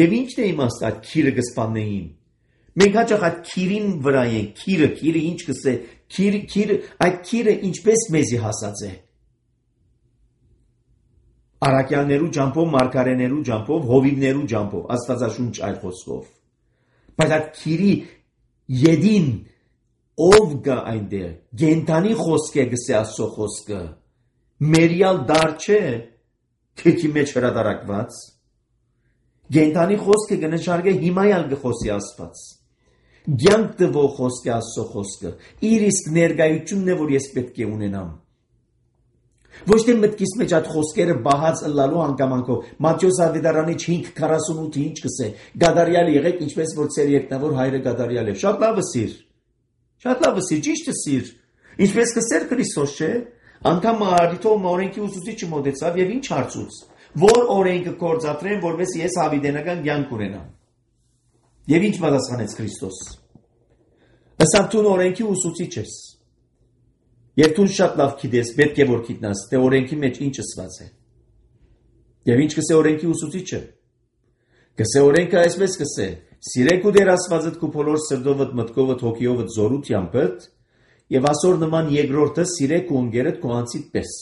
Եվ ի՞նչն է իմաստը այդ քիրը գսպաններին։ Մենք հաճախ այդ քիրին վրա ենք, քիրը ինչ գսե, այդ քիրը ինչպես մեզի հասած է։ Արաքյալներու ջամփով, մարգարեներու ջամփով, հովիվներու ջամփով, Աստվածաշունչ այլ խոսքով։ Բայց այդ քիրի յեդին ով գա այնտեղ, գենտանի խոսք է գսե Աստծո խոսքը, մերյալ դար չէ, քեքի մեջ հրադարակված։ Գենտանի խոսքը կնշանակե հիմայալ գխոսի Աստված։ Գյանք տվող խոսք է Աստծո խոսքը, իր իսկ ներկայությունն է, որ ես պետք է ունենամ։ Ոչ թե մտքիս մեջ այդ խոսքերը բահած ըլլալու հանգամանքով, Մատթեոս Ավետարանի 5:48-ը ինչ կսե, գադարյալ եղեք, ինչպես որ ծեր երկնավոր հայրը գադարյալ է։ Շատ լավը սիր, ճիշտը սիր, ինչպես կսեր Քրիստոս չէ, անգամ Արիթոմ օրենքի ուսուցիչը մոտեցավ եւ ինչ հարցուց, որ օրենքը կործատրեն, որովհետեւ ես հավիտենական կյանք ունենամ։ Եվ ինչ պատասխանեց Քրիստոս։ Ըստ դու օրենքի ուսուցիչ ես։ Եվ դու շատ լավ գիտես, պետք է որ գիտնաս, թե օրենքի մեջ ինչ ասված է։ Եվ ինչ կսե օրենքի ուսուցիչը։ Կսե օրենքը այսպես կսե. Սիրեք ու դեր Աստվածդ քու բոլոր սրտովդ, մտքովդ, հոգիովդ, զորությանդ, եւ ասոր նման երկրորդը սիրեք ու ընկերդ քո անձիդ պես։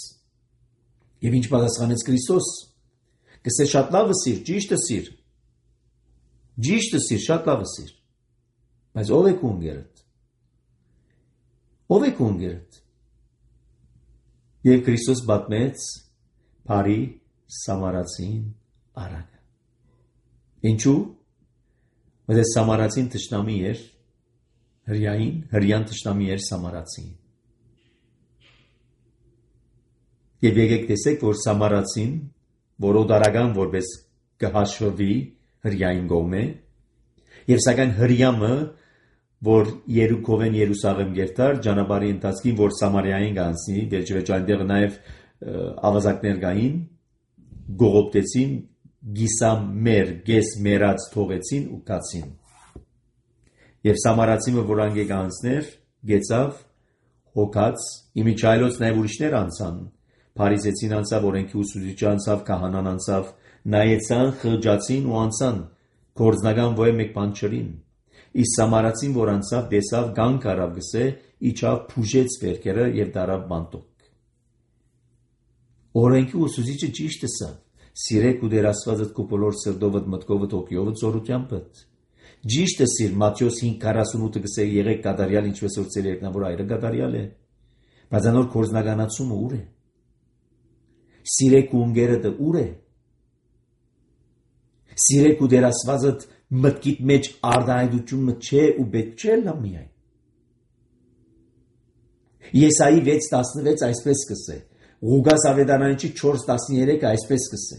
Եվ ինչ պատասխանեց Քրիստոս։ Կսե շատ լավը սիր, ճիշտը սիր։ Ճիշտը սիր, շատ լավը սիր։ Բայց ով է քո ընկերդ։ Ով է քո ընկերդ։ Եվ Քրիստոս պատմեց Փարի Սամարացին արագը։ Ինչու՞։ Որտեղ Սամարացին թշնամի էր հրյան թշնամի էր Սամարացին։ Եվ եկեք տեսեք, որ Սամարացին, որ օդարական որպես կհաշվվի հրյային գոմե, եւ սակայն հրյամը, որ Երուքովեն Երուսաղեմ գերտար, ճանապարհի ընթացքին, որ Սամարիային գանցնի, վերջիվերջո այնտեղ նաև ավազակներ կային, գողոպտեցին, գիսամեր, գես մերած թողեցին ու կացին։ Եվ Սամարացիմը, որ անգե գանցներ, գեցավ, հոգաց, իմիջայլոց նաև ուրիշներ անցան, Փարիսեցին անցավ, օրենքի ուսուցիչը անցավ, քահանան անցավ, նայեցան, խղճացին ու անցան, գործնական ոյ մեկ բան չրին։ Իսկ Սամարացին, որ անցավ, տեսավ, գանք արավ գսե, իջավ, փուժեց վերքերը եւ դարավ բանտոկ։ Օրենքի ուսուցիչը ճիշտ է սա։ Սիրեք ու դեր Աստվածդ քո բոլոր սրտովդ, մտքովդ, հոգիովդ, զորությանդ։ Ճիշտ է սիր, Մատթեոս 5:48-ը գսե եղեք գադարյալ, ինչպես որ ծեր երկնավոր հայրը գադարյալ է։ Բայց անոր կորզնականացումը ուր է։ Սիրեք ու ընկերդ ուր է։ Սիրեք ու դեր Աստվածդ մտքիդ մեջ արդայնությունը չէ ու պետք չէ լա միայն։ Եսայի 6:16 այսպես կսե, Ղուգաս Ավետարանի 4:13 այսպես կսե։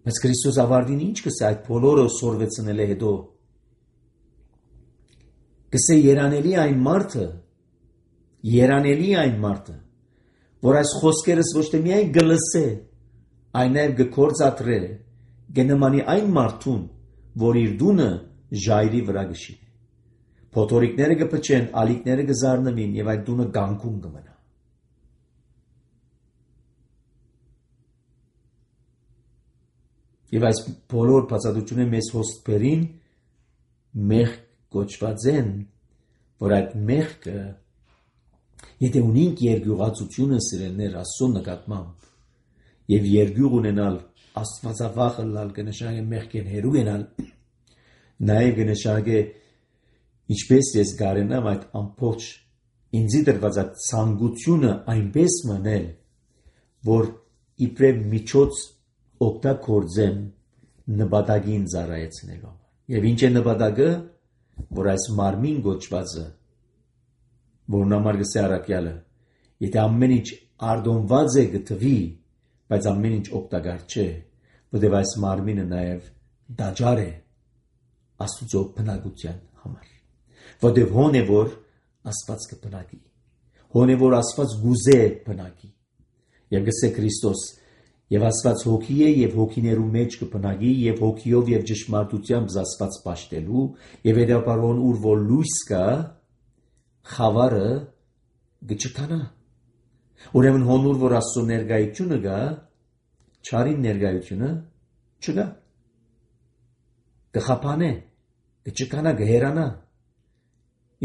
Բայց Քրիստոս ավարտին ինչ կսե այդ բոլորը սորվեցնել է հետո։ Կսե երանելի այն մարդը, որ այս խոսքերս ոչ թե միայն գլսե, այն նաև գործադրե, գնամանի այն մարդուն, որ իր դունը ժայռի վրա գշի։ Փոթորիկները կփչեն, ալիքները կզարնվին եւ այդ դունը գանկուն կմնա։ Եվ այս բոլոր բացատրությունները մեզ հոսքերին մեղք կոչված են, որ այդ մեղքը, եթե ունենք երկյուղացությունը սիրելներ Աստծո նկատմամբ եւ երկյուղ ունենալ Աստվածավախ ըլլալ կնշանակե մեղքեն հերու գնալ, նաեւ կնշանակե ինչպես ես գարենամ այդ ամբողջ ինձի դրված այդ ցանկությունը այնպես մնել, որ իբրև միջոց օգտագործեմ նպատակին ծառայեցնելու։ Եվ ինչ է նպատակը, որ այս մարմին գոչվածը որն համար գսե առաքյալը, եթե ամեն ինչ արդոնված է գտվի, բայց ամեն ինչ օգտակար չէ, որտեղ այս մարմինը նաև դաջար է Աստուծո բնակության համար, որտեղ հոն է որ Աստված կբնակի, հոն է որ Աստված գուզե բնակի, եւ գսե Քրիստոս, եւ Աստված հոգի է եւ հոգիներու մեջ կբնակի եւ հոգիով եւ ճշմարտությամբ Աստված պաշտելու եւ հետապարոն ուր որ լույս կա, խավարը գճկանա, ուրեմն հոնուր որ Աստծո ներկայությունը գա, չարին ներկայությունը չգա, կխափանե, կճկանա, կհերանա,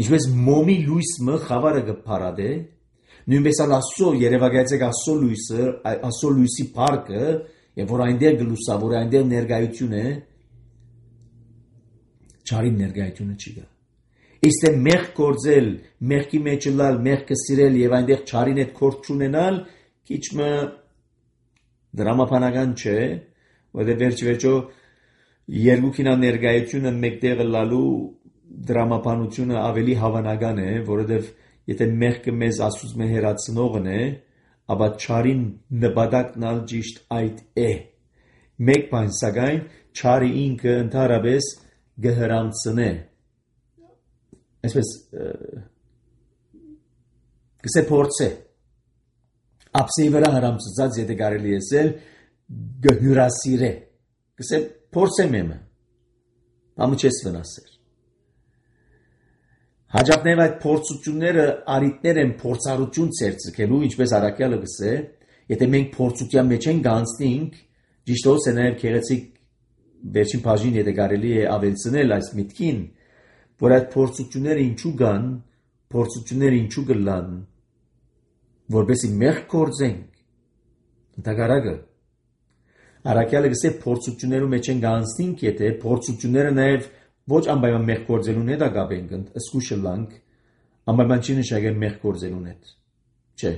ինչպես մոմի լույսը խավարը կփարադե, նույնպես Աստծո երևակայեցեք Աստծո լույսի փառքը, եւ որ այնտեղ գլուսա, որ այնտեղ ներկայություն է, չարին ներկայությունը չի գա։ Իսկ մեղք գործել, մեղքի մեջ լալ, մեղքը սիրել եւ այնտեղ չարին հետ կորդ չունենալ, քիչ մը դրամապանական չէ, որտեղ վերջո երկուքինա ներկայությունը մեկտեղ լալու դրամապանությունը ավելի հավանական է, որովհետեւ եթե մեղքը մեզ Աստծուց հեռացնողն է, ապա չարին նպատակն ալ ճիշտ այդ է։ Մեկ բան սակայն չարի ինքը ընդհանրապես գհրանցնե։ Այսպես կսե փորձե։ Ապսեի վրա հրամցած եթե կարելի է գհյուրասիրե։ Կսե փորձե մեմը։ Ամը չես վնասեր։ Հաջողներ այդ փորձությունները արիտներ են փորձառություն ցերծելու, ինչպես առաքյալը գսե, եթե մենք փորձության մեջ ենք գանցնենք, ճիշտ է նաև քեղեցիկ վերջին բաժին եթե կարելի է ավելցնել այս միտքին, որ այդ փորձությունները ինչու կան, փորձությունները ինչու կլան, որպեսզի մեղք գործենք, ընդհակառակը առաքյալը գսե փորձություններու մեջ են գանցնենք, եթե փորձությունները նաև ոչ անպայման մեղք գործելուն հետ ակապենք, ըսկուշը լանք, անպայման չի նշանակել մեղք գործելուն հետ, չէ։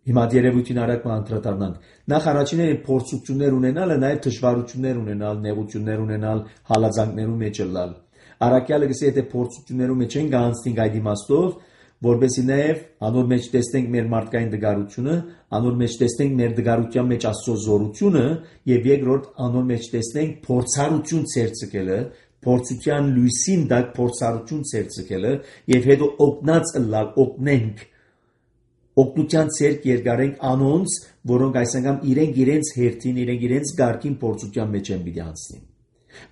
Հիմա երևույթին արագ անդրադառնանք։ Նախ առաջինը փորձություններ ունենալը, նաև դժվարություններ ունենալ, նեղություններ ունենալ, հալածանքներու մեջ լալ։ Առաքյալը գսե եթե փորձություններու մեջ են գանցնենք այդ իմաստով, որպեսզի նաև անոր մեջ տեսնենք մեր մարդկային դգարությունը, անոր մեջ տեսնենք մեր դգարության մեջ Աստծո զորությունը եւ երկրորդ անոր մեջ տեսնենք փորձառություն ցերծկելը, փորձության լույսին դակ փորձառություն ցերծկելը եւ հետո օգնած լալ օգնենք օգնության ցերկ երկարենք անոնց, որոնք այս անգամ իրենց հերթին, իրենց գարկին փորձության մեջ են պիտի անցնին։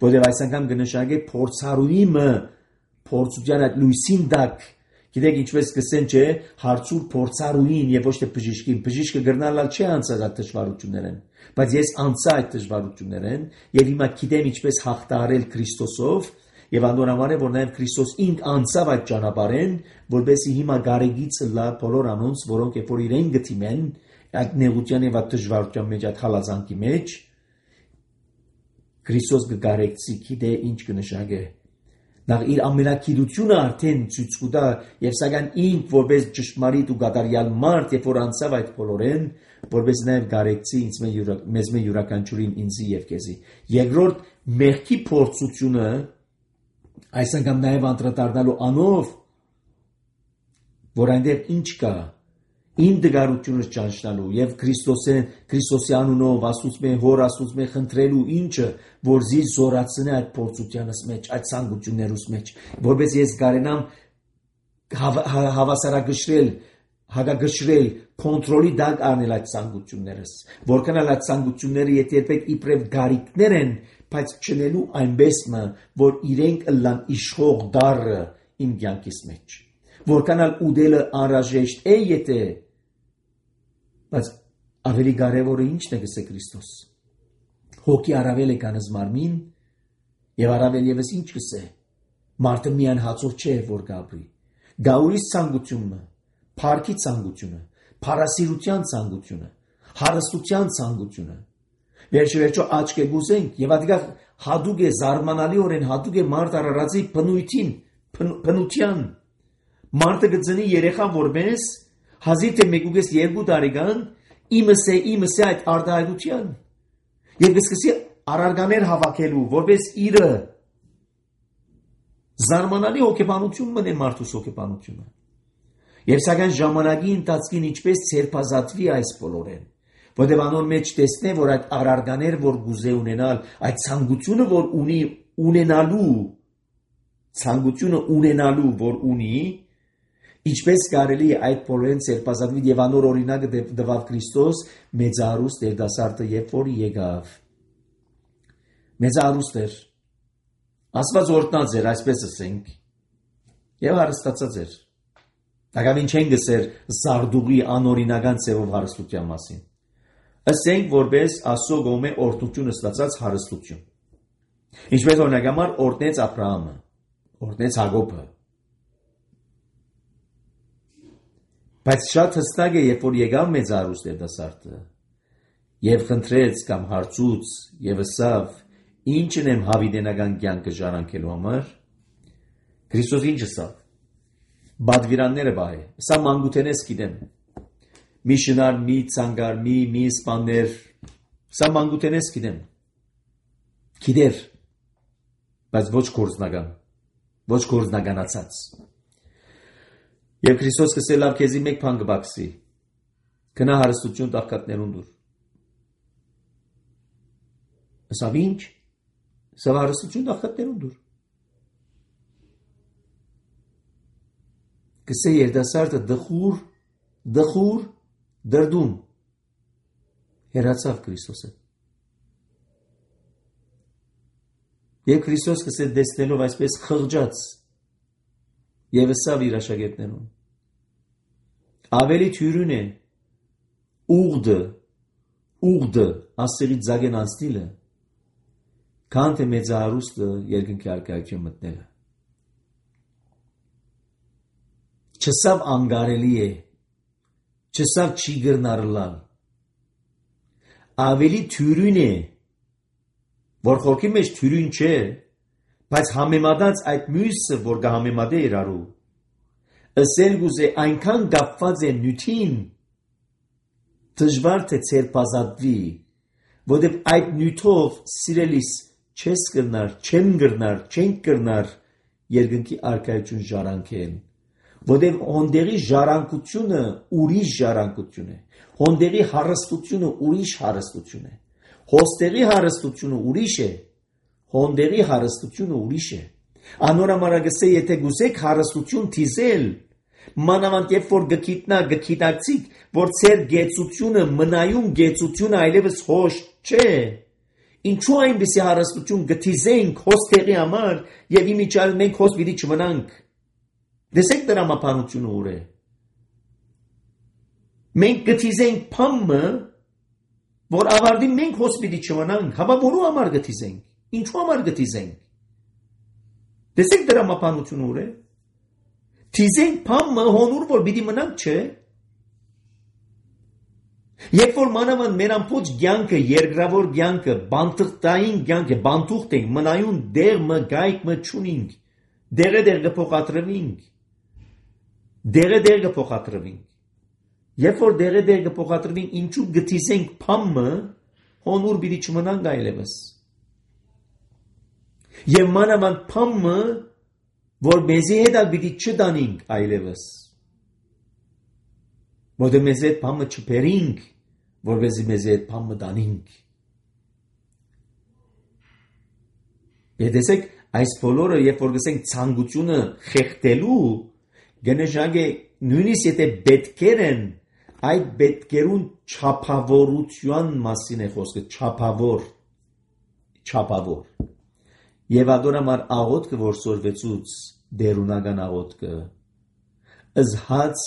Որտեղ այս անգամ կնշանակե փորձառուիմը փորձության այդ լույսին դակ գիտեք ինչպես կսեն չէ հարցուր փորձառուին եւ ոչ թե բժիշկին բժիշկը գրնալալ չի անցած այդ դժվարություններն բայց ես անցա այդ դժվարություններն եւ հիմա գիտեմ ինչպես հաղթահարել Քրիստոսով եւ անորամար է որ նաեւ Քրիստոս ինք անցավ այդ ճանապարհեն որովհետեւ հիմա գարեգից լա բոլոր անոնց որոնք երբ որ իրեն գտիմեն այդ նեղության եւ այդ դժվարության մեջ այդ հալածանքի մեջ Քրիստոս գարեգցի գիտե ինչ կնշանակե Նախ իր ամենակիրությունը արդեն ցույց կտա եւ սակայն ինք որպես ճշմարիտ ու գադարյալ մարդ երբ որ անցավ այդ բոլորեն որպես նաեւ գարեգցի մեզ յուրաքանչյուրին ինձի եւ քեզի երկրորդ մեղքի փորձությունը այս անգամ նաեւ անդրադառնալու անով որ այնտեղ ինչ կա Իմ դգարությունը ճանչնալու եւ Քրիստոսի անունով Աստծո հոր Աստծո խնդրելու ինչը որ զի զորացնե այդ փորձությանս մեջ այդ ցանկություններուս մեջ որպես ես կարենամ հավասարակշռել հագագշռել կոնտրոլի դակ առնել այդ ցանկություններս որքան այդ ցանկությունները երբեք իբրև գարիկներ են բայց չնելու այնպես որ իրենք լան իշխող դառը իմ կյանքիս մեջ որքան ուդելը անհրաժեշտ է եթե բայց ավելի կարևորը ինչն է գսե Քրիստոս հոգի առավել է կանыз մարմին եւ առավել եւս ինչ գսե մարդը միայն հացով չէ որ գաբրի գաուրիս ցանկությունը փառքի ցանկությունը փառասիրության ցանկությունը հարստության ցանկությունը վերջո աչք է գուզենք եւ ադիգա հադուկ է զարմանալիորեն հադուկ է մարդ առարածի փնության Մարդը գծնի երեխան որպես հազիվ թե 1.2 տարեկան իմս է այդ արտահայտության եւ սկսի արարկաներ հավաքելու որպես իրը զարմանալի հոգեբանություն մնե մարդուս հոգեբանությունը Եվ սակայն ժամանակի ընթացքին ինչպես ցերպազատվի այս բոլորեն, որտեղ անոր մեջ տեսնե, որ այդ առարգաներ, որ գուզե ունենալ, այդ ցանկությունը, որ ունի ունենալու, որ ունի, ինչպես կարելի է այդ բոլորեն ցերպազատվի եւ անոր օրինակը դվավ Քրիստոս մեծարուստ երդասարտը, երբ որ եկավ։ Մեծարուստ էր, Աստված օրտնած էր, այսպես ասենք, եւ հարստացած էր։ Դակամին չեն գսեր զարդուղի անօրինական ձևով հարստության մասին։ Ասենք որպես Աստծո կողմէ օրհնություն ստացած հարստություն։ Ինչպես օրինակ համար օրհնեց Աբրահամը, օրհնեց Հակոբը։ Բայց շատ հստակ է, երբ որ եկավ մեծարուստ երդասարտը եւ խնդրեց կամ հարցուց եւ ասավ. «Ինչն եմ հավիտենական կյանքը ժառանգելու համար»։ Քրիստոս ինչ ասավ։ Բադվիրանները բայ, սա մանկութենես գիտեմ։ Մի շնար, մի ցանկար, մի սպաներ, սա մանկութենես գիտեմ։ Գիտեր, բայց ոչ կորզնականացած։ Եվ Քրիստոս կսելավ քեզի մեկ բան կբացի։ Գնա հարստություն տաղկատներուն դուր։ Ասավ ինչ։ Սա հարստություն տաղկատներուն դուր։ Կսե երդասարտը դխուր դրդում հեռացավ Քրիստոսը։ Եվ Քրիստոս կսե դեսնելով այսպես խղճած եւ ասավ իր աշակերտներուն. ավելի թյուրուն է ուղդը ասերի ձագեն անցնիլը, քան թե մեծահարուստը երկնքի արքայություն մտնելը։ Չսավ անգարելի է, չսավ չի գրնարլալ, ավելի թյուրուն է, որ խորքի մեջ թյուրուն չէ, բայց համեմատած այդ մյուսը, որ կհամեմատե իրարու, ասել գուզե այնքան կապված է նյութին, դժվար թե ցերպազատվի, որտեղ այդ նյութով սիրելիս չես կրնար, չենք կրնար երկնքի արքայություն ժառանգել, որտեղ հոնդերի ժառանգությունը ուրիշ ժառանգություն է, հոնդերի հարստությունը ուրիշ հարստություն է, հոստերի հարստությունը ուրիշ է, հոնդերի հարստությունը ուրիշ է։ Անորամարագսե եթե գուսեք հարստություն թիզել, մանավանդ երբ որ գքիտակցիկ, որ ծեր գեցությունը, մնայուն գեցությունը այլևս հոշ չէ, ինչու այնպիսի հարստություն գթիզենք հոստերի համար եւ իմիջիալ մենք հոստ պիտի չմնանք։ Դեսեք դրամապանությունը ուր է։ Մենք գթիզենք փամը, որ ավարտի մենք հոստ պիտի չմնանք, հավա որու համար գթիզենք, ինչու համար գթիզենք։ Դեսեք դրամապանությունը ուր է։ Թիզենք փամը հոնուր որ պիտի մնանք չէ։ Երբ որ մանավանդ մեր ամբողջ կյանքը, երկրավոր կյանքը, բանտղտային կյանքը, բանտուղտ ենք, մնայուն դեղը, գայքը չունենք, դեղը կփոխադրվենք։ Երբ որ դեղը կփոխադրվենք, ինչու գթիզենք փամը, հոնուր պիտի չմնանք այլևս։ Եվ մանավանդ փամը, որ մեզի հետ պիտի չդանենք այլևս, որտեղ մեզ հետ փամը չբերենք, որպեսզի մեզ հետ փամը դանենք։ Եդեսեք այս բոլորը, երբ որ գսենք ցանկությունը խեղդելու, գնեշակ է նույնիսկ եթե պետքեր են, այդ պետքերուն չափավորության մասին է խոսքը, չափավոր։ Եվ ադորամար աղոտքը, որ սորվեցուց դերունական աղոտքը, ըզհաց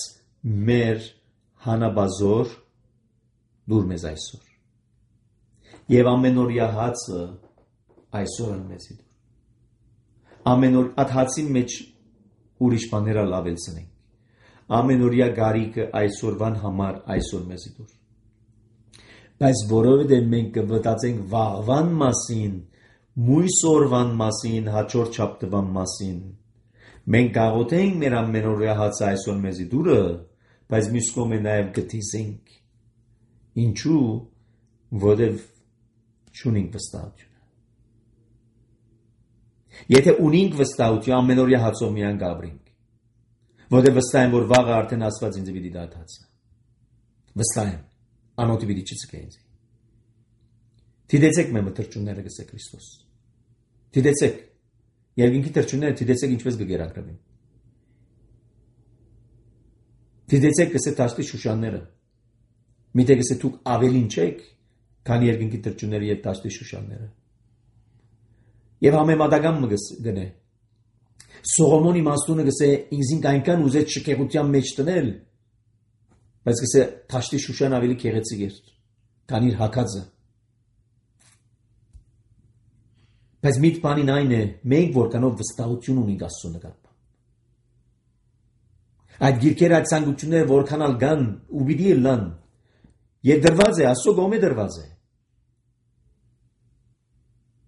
մեր հանաբազոր դուր մեզ այսօր։ Եվ ամենօրյա հացը այսօր են մեզի դուր։ Ամենօր այդ հացի մեջ ուրիշ բաներ լավելցնենք։ Ամենօրյա գարիկը այսօրվան համար այսօր մեզի դուր։ Բայց որովհետև մենք կվտածենք վաղվան մասին, մույս օրվան մասին, հաջորդ շաբթվան մասին, մենք գաղութենք մեր ամենօրյա հացը այսօր մեզի դուրը, բայց մյուս կողմը նաև գթիզենք։ Ինչու, որովհետև չունենք վստահություն։ Եթե ունենք վստահություն, ամենօրյա հացով միան գաբրենք։ Որտեղ վստահ եմ, որ վաղը արդեն Աստված ինձ պիտի դադարեցնի։ Վստահ եմ, անօթի պիտի չցկե ինձ։ Դիտեցեք մեր մտրճունները գսե Քրիստոս։ Դիտեցեք, երկինքի թրջունները դիտեցեք ինչպես կգերակրվեն։ Դիտեցեք գսե տաշտի շուշանները։ Միթե գսե դուք ավելին չեք, քան երկինքի թրջունները եւ տաշտի շուշանները։ Եվ համեմատական մը գնե։ Սողոմոնի իմաստունը գսե ինձին այնքան ուզեց շքեղության մեջ տնել, բայց գսե տաշտի շուշան ավելի քեղեցիկ էր, քան իր հակածը։ Բայց միտ բանին այն է, մենք որքանով վստահություն ունենք Աստծո նկատմամբ։ Այդ գիրքերը, այդ ցանկությունները որքանալ կան ու պիտի լան, եւ դրված է, Աստծո կողմէ դրված է։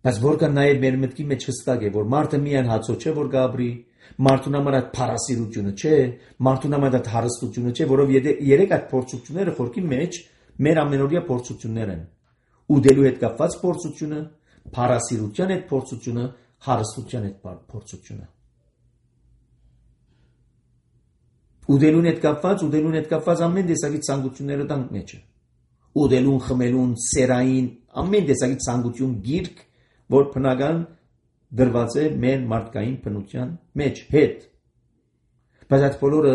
Բայց որքան նաև մեր մտքի մեջ հստակ է, որ մարդը միայն հացով չէ, որ գաբրի, մարդուն համար այդ փառասիրությունը չէ, մարդուն համար այդ հարստությունը չէ, որով երեք այդ փորձությունները խորքի մեջ մեր ամենօրյա փորձություններ են։ Ուդելու հետ կապված փորձությունը, փառասիրության հետ փորձությունը, հարստության հետ փորձությունը։ Ուդելուն հետ կապված ամեն տեսակի ցանկությունները տանք մեջը։ Ուդելուն, խմելուն, սերային, ամեն տեսակի ցանկություն գիրք, որ բնական դրված է մեր մարդկային բնության մեջ հետ։ Բայց այդ բոլորը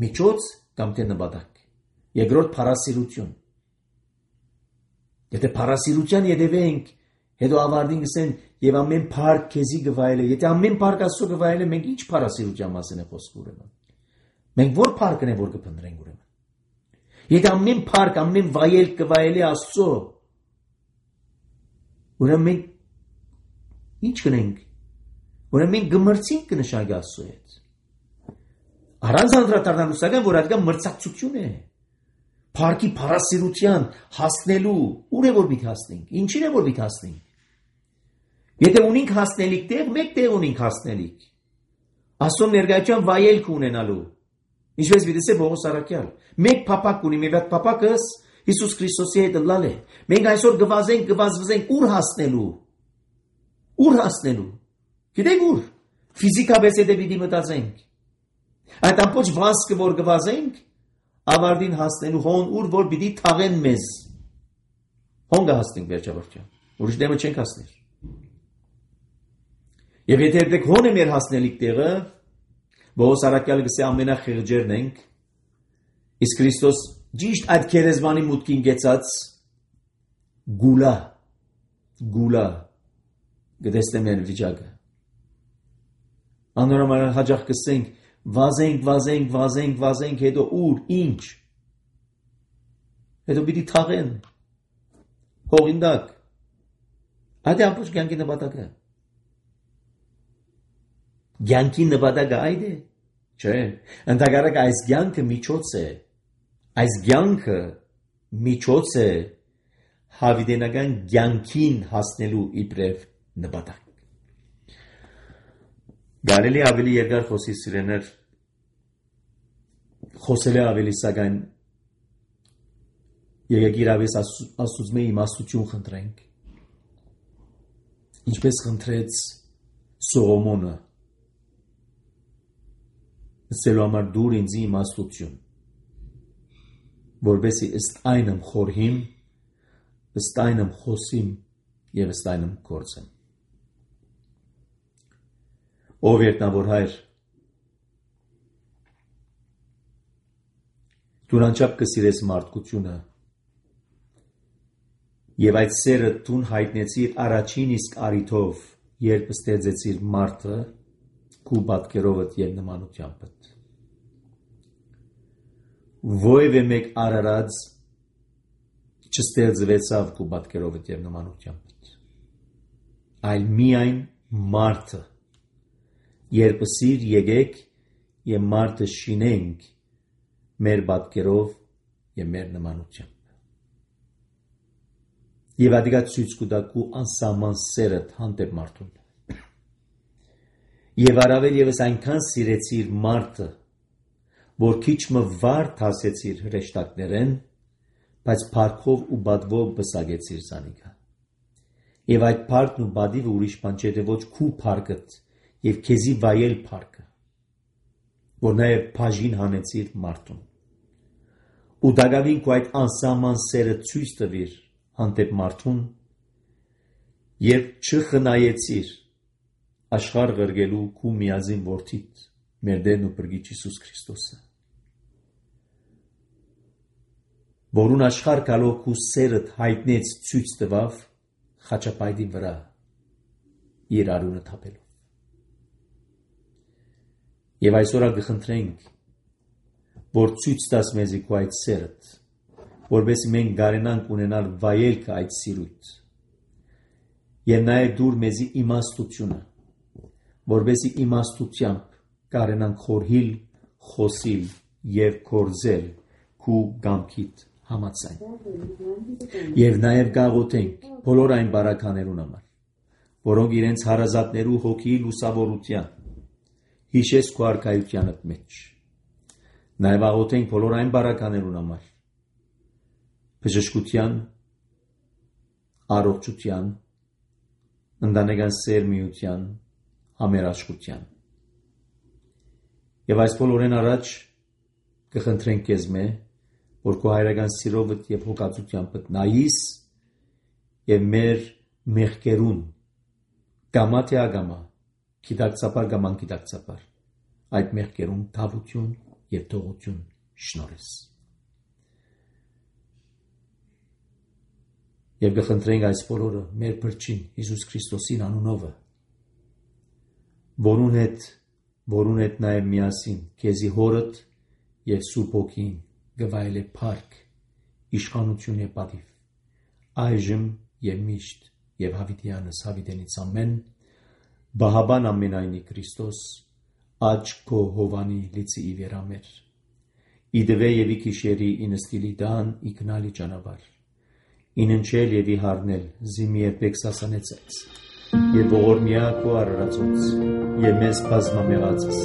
միջոց կամ թե նպատակ։ Երկրորդ փառասիրություն։ Եթե փառասիրության յետևենք, հետո ավարտին գսեն եւ ամեն փառք քեզի գվայել է։ Եթե ամեն փառք Աստծո գվայել է, մենք ինչ փառասիրության մասին է խոսք ուրեմն։ Մենք որ փառքն է որ կփնտրենք ուրեմն։ Եթե ամեն փառք, ամեն վայել գվայել է Աստծո, ուրեմն մենք ինչ կնենք։ Ուրեմն մենք գմրցինք կնշանակի Աստծո հետ։ Առանց անդրադառնալուսական, որ այդ կա մրցակցություն է։ Փառքի փառասիրության հասնելու ուր է որ պիտի հասնենք։ Ինչին է որ պիտի հասնենք։ Եթե ունենք հասնելիք տեղ, մեկ տեղ ունենք հասնելիք։ Աստծո ներկայության վայելք ունենալու։ Ինչպես դիտես Պողոս Արաքյալ, մեկ փապակ ունի, մի վատ փապակս Հիսուս Քրիստոսի հետ լալ է։ Մենք այսօր գվազվզենք ուր հասնելու։ Ուր հասնելու։ Գիտեք ուր։ Ֆիզիկապես եթե պիտի մտածենք։ Այդ ամբողջ վազքը որ գվազենք, ավարտին հասնելու հոն ուր որ պիտի թաղեն մեզ։ Հոն կհասնենք վերջաբերջան։ Ուրիշ դեմը չենք հասներ։ Եվ եթե դեք հոն է մեր հասնելիք տեղը, Պողոս Արաքյալը գսե ամենախեղճերն ենք, իսկ Քրիստոս ճիշտ այդ քերեզմանի մուտքին գեցած գուլա գտեսնեմ են վիճակը։ Անորոման հաջող կսենք, վազենք, հետո ուր, ինչ։ Հետո պիտի թաղեն։ Հողինդակ։ Այդ է ամբողջ կյանքի նպատակը։ Կյանքի նպատակը այդ է։ Չէ, ընդհակառակ այս կյանքը միջոց է։ Այս կյանքը միջոց է հավիտենական կյանքին հասնելու իբրև նպատակ։ Գարելի ավելի երկար խոսի սիրեներ, խոսել է ավելի սակայն եկեք իրավես Աստծուց մեր իմաստություն խնդրենք։ Ինչպես խնդրեց Սողոմոնը, ասելու համար դուր ինձ իմաստություն, որբեսի ըստ այնմ խորհիմ, ըստ այնմ խոսիմ եւ ըստ այնմ գործեմ։ Ով երկնավոր Հայր, դու անչափ կսիրես մարդկությունը եւ այդ սերը դու հայտնեցիր առաջին իսկ արիթով, երբ ստեղծեցիր մարդը քու պատկերովդ եւ նմանությամբ։ Ովևէ մեկ արարած չստեղծվեցավ քու պատկերովդ եւ նմանությամբ, այլ միայն մարդը։ Երբ սիր եկեք եւ մարդը շինենք մեր պատկերով եւ մեր նմանությամբ։ Եվ ադիգա ցույց կտա քու անսահման սերդ հանդեպ մարդուն։ Եվ առավել եւս այնքան սիրեցիր մարդը, որ քիչ մը վար հասեցիր հրեշտակներեն, բայց փառքով ու բադվով բսագեցիր զանիկա։ Եվ այդ փառքն ու բադիվը ուրիշ բան չէ, թե ոչ քու փառքդ եւ քեզի վայել փառքը։ որ նաև բաժին հանեցիր մարդուն։ Ու դակավին քո այդ անսահման սերը ցույց տվիր հանդեպ մարդուն եւ չխնայեցիր աշխարհ ղրգելու քու միածին որդիդ մեր Տերն ու Փրկիչ Հիսուս Քրիստոսը, որուն աշխարհ գալով քու սերդ հայտնեց ցույց տվավ խաչապայտի վրա իր արունը թափելով։ Եվ այսօր կխնդրենք, որ ցույց տաս մեզի քո այդ սերդ, որովհետեւ մենք գարենանք ունենալ վայելքը այդ սիրույթ։ Եվ նաև դուր մեզի իմաստությունը, որովհետեւ իմաստությամբ կարենանք խորհիլ, խոսիլ եւ կորզել քու գամքիդ համաձայն։ Եվ նաև գաղութենք բոլոր այն բարականերուն համար, որոնք իրենց հարազատներու հոգի լուսավորության հիշես քո արքայությանդ մեջ։ Նաև աղոթենք բոլոր այն բարականերուն համար, բժշկության, առողջության, ընտանեկան սերմիության, համերաշխության։ Եվ այս բոլորեն առաջ կխնդրենք քեզ մե, որ քո հայրական սիրովդ եւ հոգացությամբ նայիս եւ մեր մեղքերուն գամա թե ագամա, գիտակցաբար կամ անգիտակցաբար, այդ մեղքերուն թավություն եւ թողություն շնորհես։ Եվ կխնդրենք այս բոլորը մեր Փրկին Հիսուս Քրիստոսին անունովը, որուն հետ նաև միասին քեզի հորդ եւ Սուրբ Հոգին գվայել է փառք, իշխանություն եւ պատիվ, այժմ եւ միշտ եւ հավիտյանս հավիտենից ամեն, բահաբան ամենայնի Քրիստոս, աճ քո հովանի լիցի իվերամեր, իդվե եւ իքիշերի ինստիլի դան իգնալի ճանապարհ, ինընչել եւ իհարնել զիմի երբեք սասանեցած, եւ ողորմյա քո արարածոց, եւ մեզ բազմամեղածս,